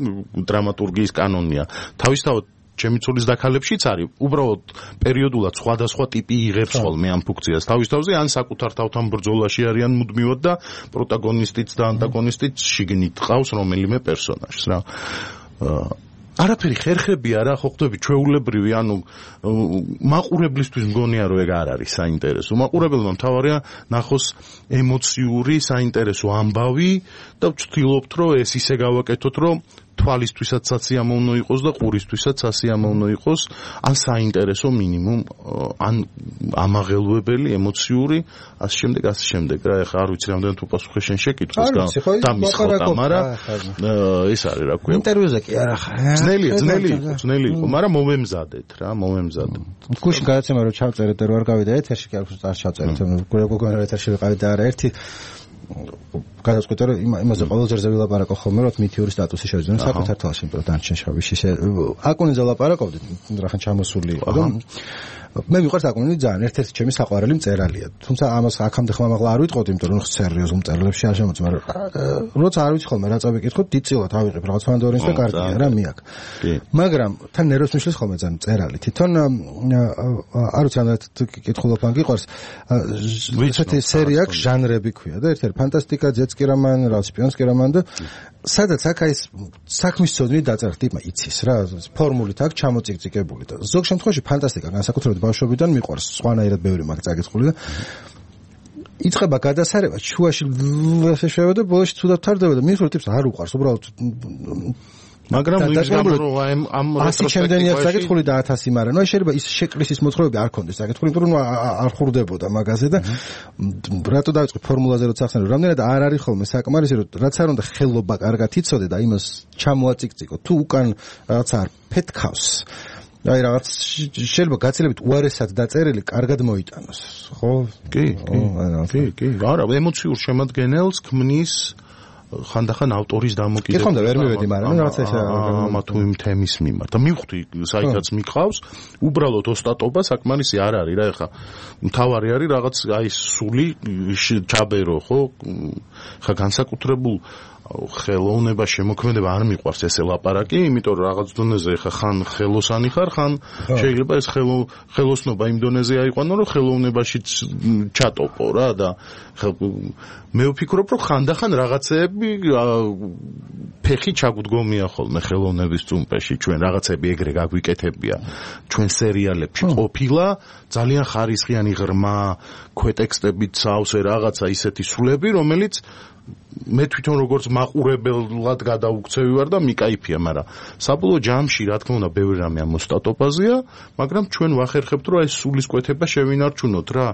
დრამატურგიის კანონია. თავისთავად ჩემი ცოლის დაკალებშიც არის, უბრალოდ პერიოდულად სხვადასხვა ტიპი იღებს ხოლმე ამ ფუნქციას. თავისთავზე ან საკუთარ თავთან ბრძოლაში არიან მუდმივად და პროტაგონისტიც და ანტაგონისტიც შიგნით ყავს რომელიმე პერსონაჟს რა. არაფერი ხერხები არა, ხო ხდები ჩვეულებრივი, ანუ მაყურებლისთვის მგონია რომ ეგ არ არის საინტერესო. მაყურებელმა მთავარია ნახოს ემოციური საინტერესო ამბავი და ვცდილობთ რომ ეს ისე გავაკეთოთ, რომ თვალისთვისაც სასიამოვნო იყოს და ყურისთვისაც სასიამოვნო იყოს, ან საინტერესო მინიმუმ, ან ამაღელვებელი, ემოციური, ასე შემდეგ, ასე შემდეგ. რა, ეხლა არ ვიცი რამდენად უპასუხე შენ შეკითხვას და მისხოდა, მაგრამ ეს არის რა ქვია. ინტერვიუზე კი არა ხარ. ძნელია, ძნელი იყო, ძნელი იყო, მაგრამ მომემზადეთ რა, მომემზადეთ. გუშინ გადაცემა რომ ჩავწერეთ და რო არ გავიდა ეთერში, კი არ არ ჩავწერეთ, გოგონა ეთერში ვიყავით და არა ერთი გადაწყვეტა რომ იმაზე ყოველ ჯერზე ვილაპარაკო ხოლმე რომ მითიური სტატუსი შევიძინო საკუთარ თვალში, იმიტომ რომ დანარჩენ შავიში აკუნიძე ვლაპარაკობდით, რახან ჩამოსული იყო და მე მიყვარს აკუნინი ძალიან, ერთ-ერთი ჩემი საყვარელი მწერალია. თუმცა ამას აქამდე ხმამაღლა არ ვიტყოდი, იმიტომ რომ სერიოზულ მწერლებში არ შემოწმ, მაგრამ როცა არ ვიცი ხოლმე რა წავიკითხოთ, დიწილად ავიღებ რაღაც ფანდორინს და კარტია რა მიაკ. მაგრამ თან ნერვს მიშლის ხოლმე ძალიან მწერალი. თვითონ არ ვიცი ამდენად კითხულობ ან გიყვარს. ესეთი სერია აქვს, ჟანრები ქვია და ერთ-ერთი ფანტასტიკა, ძეცკი რომანი, რა სპიონსკი რომანი და სადაც აქ აი საქმის ცოდნით დაწერთ ტიპმა იცის რა, ფორმულით აქ ჩამოწიკწიკებული და ზოგ შემთხვევაში ფანტასტიკა განსაკუთრებით ბავშვობიდან მიყვარს, სხვანაირად ბევრი მაგ წაკითხული და იწყება გადასარება, შუაში შევა და ბოლოში ცუდად თარდება და მის ტიპს არ უყვარს, უბრალოდ მაგრამ ის გამო რომ ამ ამ რესტროსპექტივაში საკითხული და ათასი, მაგრამ ნუ შეიძლება ის შეკრისის მოძღვრები არ კონდეს საკითხული, იმიტომ რომ არ ხურდებოდა მაგაზე და რატო დავიწყე ფორმულაზე როცა ახსენე, რამდენად არ არის ხოლმე საკმარისი, რომ რაც არ უნდა ხელობა კარგად იცოდე და იმას ჩამოაწიკწიკო, თუ უკან რაღაც არ ფეთქავს. აი რაღაც შეიძლება გაცილებით უარესად დაწერილი კარგად მოიტანოს, ხო? კი, კი, კი. არა, ემოციურ შემადგენელს ქმნის ხანდახან ავტორის დამოკიდებულება. კი ხომ და ვერ მივედი, მაგრამ რაღაც ეს ამა თუ იმ თემის მიმართ. და მივხვდი, საერთოდ მიყავს, უბრალოდ ოსტატობა საკმარისი არ არის რა, ეხა მთავარი არის რაღაც აი სული ჩაბერო, ხო? ხა განსაკუთრებულ ხელოვნება შემოქმედება არ მიყვარს ესე ლაპარაკი, იმიტომ რომ რაღაც დონეზე ხა ხან ხელოსანი ხარ, ხან შეიძლება ეს ხელოსნობა იმ დონეზე აიყვანო, რომ ხელოვნებაშიც ჩატოპო რა და მე ვფიქრობ, რომ ხანდახან რაღაცეები ფეხი ჩაგუდგომია ხოლმე ხელოვნების წუმპეში, ჩვენ რაღაცები ეგრე გაგვიკეთებია, ჩვენ სერიალებში ყოფილა ძალიან ხარისხიანი ღრმა ქვეტექსტებით სავსე რაღაცა ისეთი სულები, რომელიც მე თვითონ როგორც მაყურებელად გადაუქცევი ვარ და მიკაიფია, მაგრამ საბოლოო ჯამში რა თქმა უნდა ბევრი რამე ამოსტატოპაზია, მაგრამ ჩვენ ვახერხებთ რომ ეს სულისკვეთება შევინარჩუნოთ რა,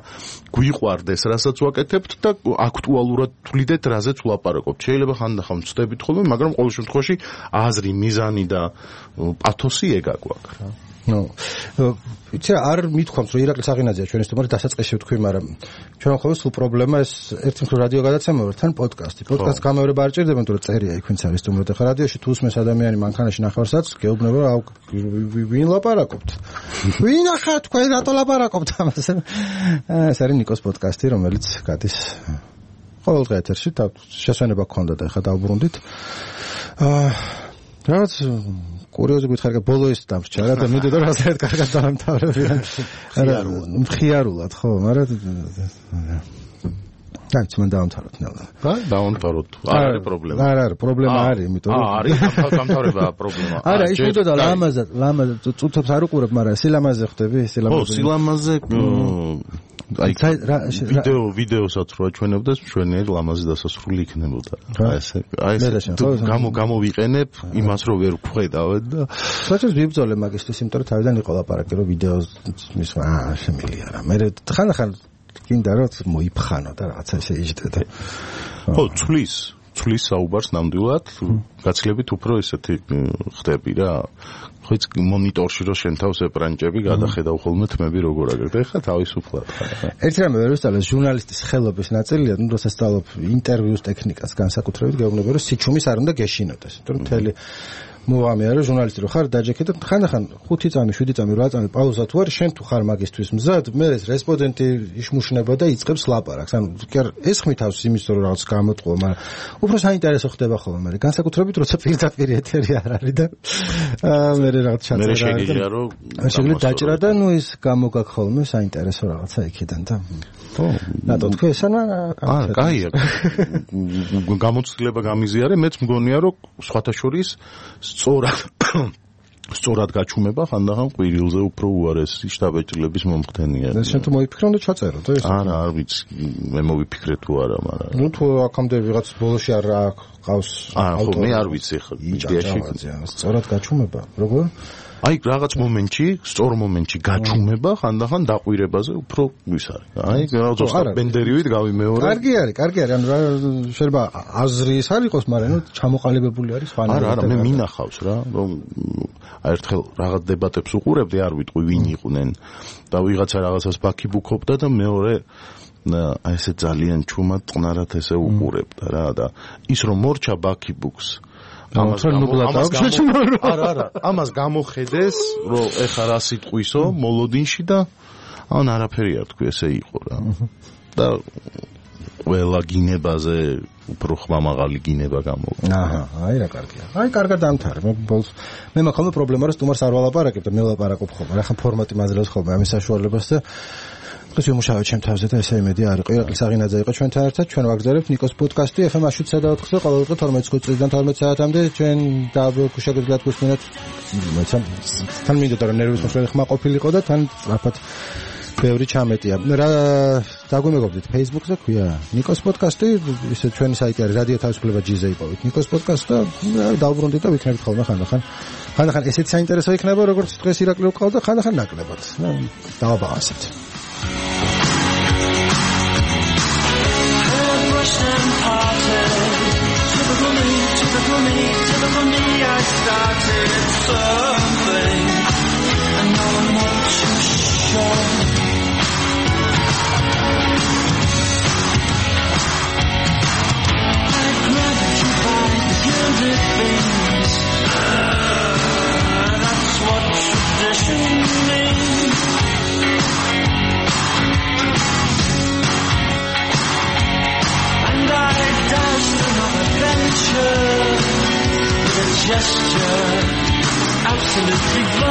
გვიყვარდეს რასაც ვაკეთებთ და აქტუალურად თვლიდეთ რაზეც ვლაპარაკობთ. შეიძლება ხანდახან ვწდებით ხოლმე, მაგრამ ყოველ შემთხვევაში აზრი, მიზანი და პათოსი ეგ აგვაქვს რა. ნო იცი არ მithქვამთ რომ ირაკლი საღინაძეა ჩვენი სტუმარი დასაწყისში ვთქვი, მაგრამ ჩვენ ხოლმე სულ პრობლემა ეს ერთი მხრივ რადიო გადაცემა ვარ, თან პოდკასტი. პოდკასტ გამეორება არ ჭირდება, იმიტომ რომ წერია იქ ვინც არის სტუმრად. ახლა რადიოში თუ უსმენს ადამიანი მანქანაში ნახევარსაც, გეუბნება რა ვინ ლაპარაკობთ. ვინ ახლა თქვენ რატო ლაპარაკობთ ამაზე? ეს არის ნიკოს პოდკასტი, რომელიც გადის ყოველდღე ეთერში, შესვენება გქონდა და ახლა დავბრუნდით. აა რაც კურიოზი გითხარ, ბოლო ის დამრჩა რა და მიდოდა რომ ასეთ კარგად დავამთავრებიან. მხიარულად ხო, მაგრამ დაიც მან დავამთავროთ ნელა. და დავამთავროთ. არ არის პრობლემა. არ არის, პრობლემა არის, იმიტომ რომ აა არის დამთავრებაა პრობლემა. არა, ის მიდოდა ლამაზად, ლამაზად წუთებს არ უყურებ, მაგრამ სილამაზე ხდები, სილამაზე. ხო, სილამაზე აი ვიდეო ვიდეოსაც რო აჩვენებდეს, ჩვენიერ ლამაზი დასასრული იქნებოდა. აი ესე, აი ესე გამო გამოვიყენებ იმას რომ ვერ ვხედავთ და საერთოდ ვიბრძოლე მაგისთვის, იმიტომ რომ თავიდან იყო ლაპარაკი რომ ვიდეოს მის აა შემილია რა. მე ხან-ხან გინდა რომ მოიფხანო და რაღაცა ესე იჯდე და ხო, ცვლის ცვლის საუბარს ნამდვილად გაცილებით უფრო ესეთი ხდები რა. ხო იცი მონიტორში რო შენ თავს ეპრანჭები გადახედავ ხოლმე თმები როგორ აგერდა. ეხლა თავისუფლად ხარ. ერთი რამე ვერ ვისწავლე, ჟურნალისტის ხელობის ნაწილია, ну, როცა სწავლობ ინტერვიუს ტექნიკას განსაკუთრებით, გეუბნება რომ სიჩუმის არ უნდა გეშინოდეს. იმიტომ რომ მთელი მოვამია რომ ჟურნალისტი რო ხარ დაჯექე და ხანდახან ხუთი წამი, შვიდი წამი, რვა წამი პაუზა თუ არის, შენ თუ ხარ მაგისტვის მზად, მე ეს რესპონდენტი იშმუშნება და იწყებს ლაპარაკს. ანუ ეს ხმითავს იმის რომ რაღაც გამოტყვა, მაგრამ უფრო საინტერესო ხდება ხოლმე, მაგრამ განსაკუთრებით როცა პირდაპირ ეთერი არ არის და აა მე რაღაც ჩაწერა. მე შეგიძლია რომ შეგვიძლია დაჭრა და ნუ ის გამოგაქ ხოლმე საინტერესო რაღაცა იქიდან და ხო, რატო თქვი ესანა? აა, კაია. გამოცდილება გამიზიარე, მეც მგონია რომ სხვათა შორის სწორად სწორად გაჩუმება ხანდახან ყვირილზე უფრო უარესი შტაბეჭდილების მომხდენია. და შენ თუ მოიფიქრე და ჩაწერო და ეს. არა, არ ვიცი, მე მოვიფიქრე თუ არა, მაგრამ. ნუ თუ აქამდე ვიღაც ბოლოში არ ყავს აა, ხო, მე არ ვიცი ხო, იდეაში. სწორად გაჩუმება, როგორ? აი რაღაც მომენტში, სწორ მომენტში გაჩუმება ხანდახან დაყვირებაზე უფრო ის არის. აი ზუსტად ბენდერივით გავიმეორე. კარგი არის, კარგი არის. ანუ შეიძლება აზრი ის არ იყოს, მაგრამ ნუ ჩამოყალიბებული არის ფანები. არა, არა, მე მინახავს რა, რომ ერთხელ რაღაც დებატებს უყურებდი, არ ვიტყვი ვინ იყვნენ და ვიღაცა რაღაცას ბაქიბუქობდა და მეორე აი ესე ძალიან ჩუმად წყნარად ესე უყურებდა რა და ის რომ მორჩა ბაქიბუქს ამას არა არა ამას გამოხედეს რომ ეხა რა სიტყვისო მოლოდინში და ან არაფერი არ თქვი ესე იყო რა და ყველა გინებაზე უფრო ხმამაღალი გინება გამოვიდა. აჰა, აი რა კარგია. აი კარგად დამთავრე. მე ბოლოს მე მაქვს პრობლემა რომ სტუმარს არ ვალაპარაკებ და მე ვლაპარაკობ ხოლმე. რა ხან ფორმატი მაძლევს ხოლმე ამის საშუალებას და დღეს ვიმუშავე ჩემ თავზე და ესე იმედი არ იყო. ირაკლი საღინაძე იყო ჩვენთან ერთად. ჩვენ ვაგზავნებთ ნიკოს პოდკასტი ეფ ემ შვიდ საათზე ყოველდღე თორმეტი წუთიდან თორმეტი საათამდე. ჩვენ შეგვიძლიათ გვისმინოთ. თან მინდოდა რომ ნერვის მოსვლელი ხმა ყოფილიყო და თან სწრაფად ბევრი ჩამეტია. რა დაგვიმეგობრდით Facebook-ზე ქვია ნიკოს პოდკასტი, ისე ჩვენი საიტი არის რადიო თავისუფლება ჯი-ზე იპოვეთ ნიკოს პოდკასტი და დავბრუნდით და ვიქნებით ხოლმე ხანდახან. ხანდახან ესეც საინტერესო იქნება, როგორც დღეს ირაკლი უყავდა, ხანდახან ნაკლებად. დავაბაღასეთ. Gesture, absolutely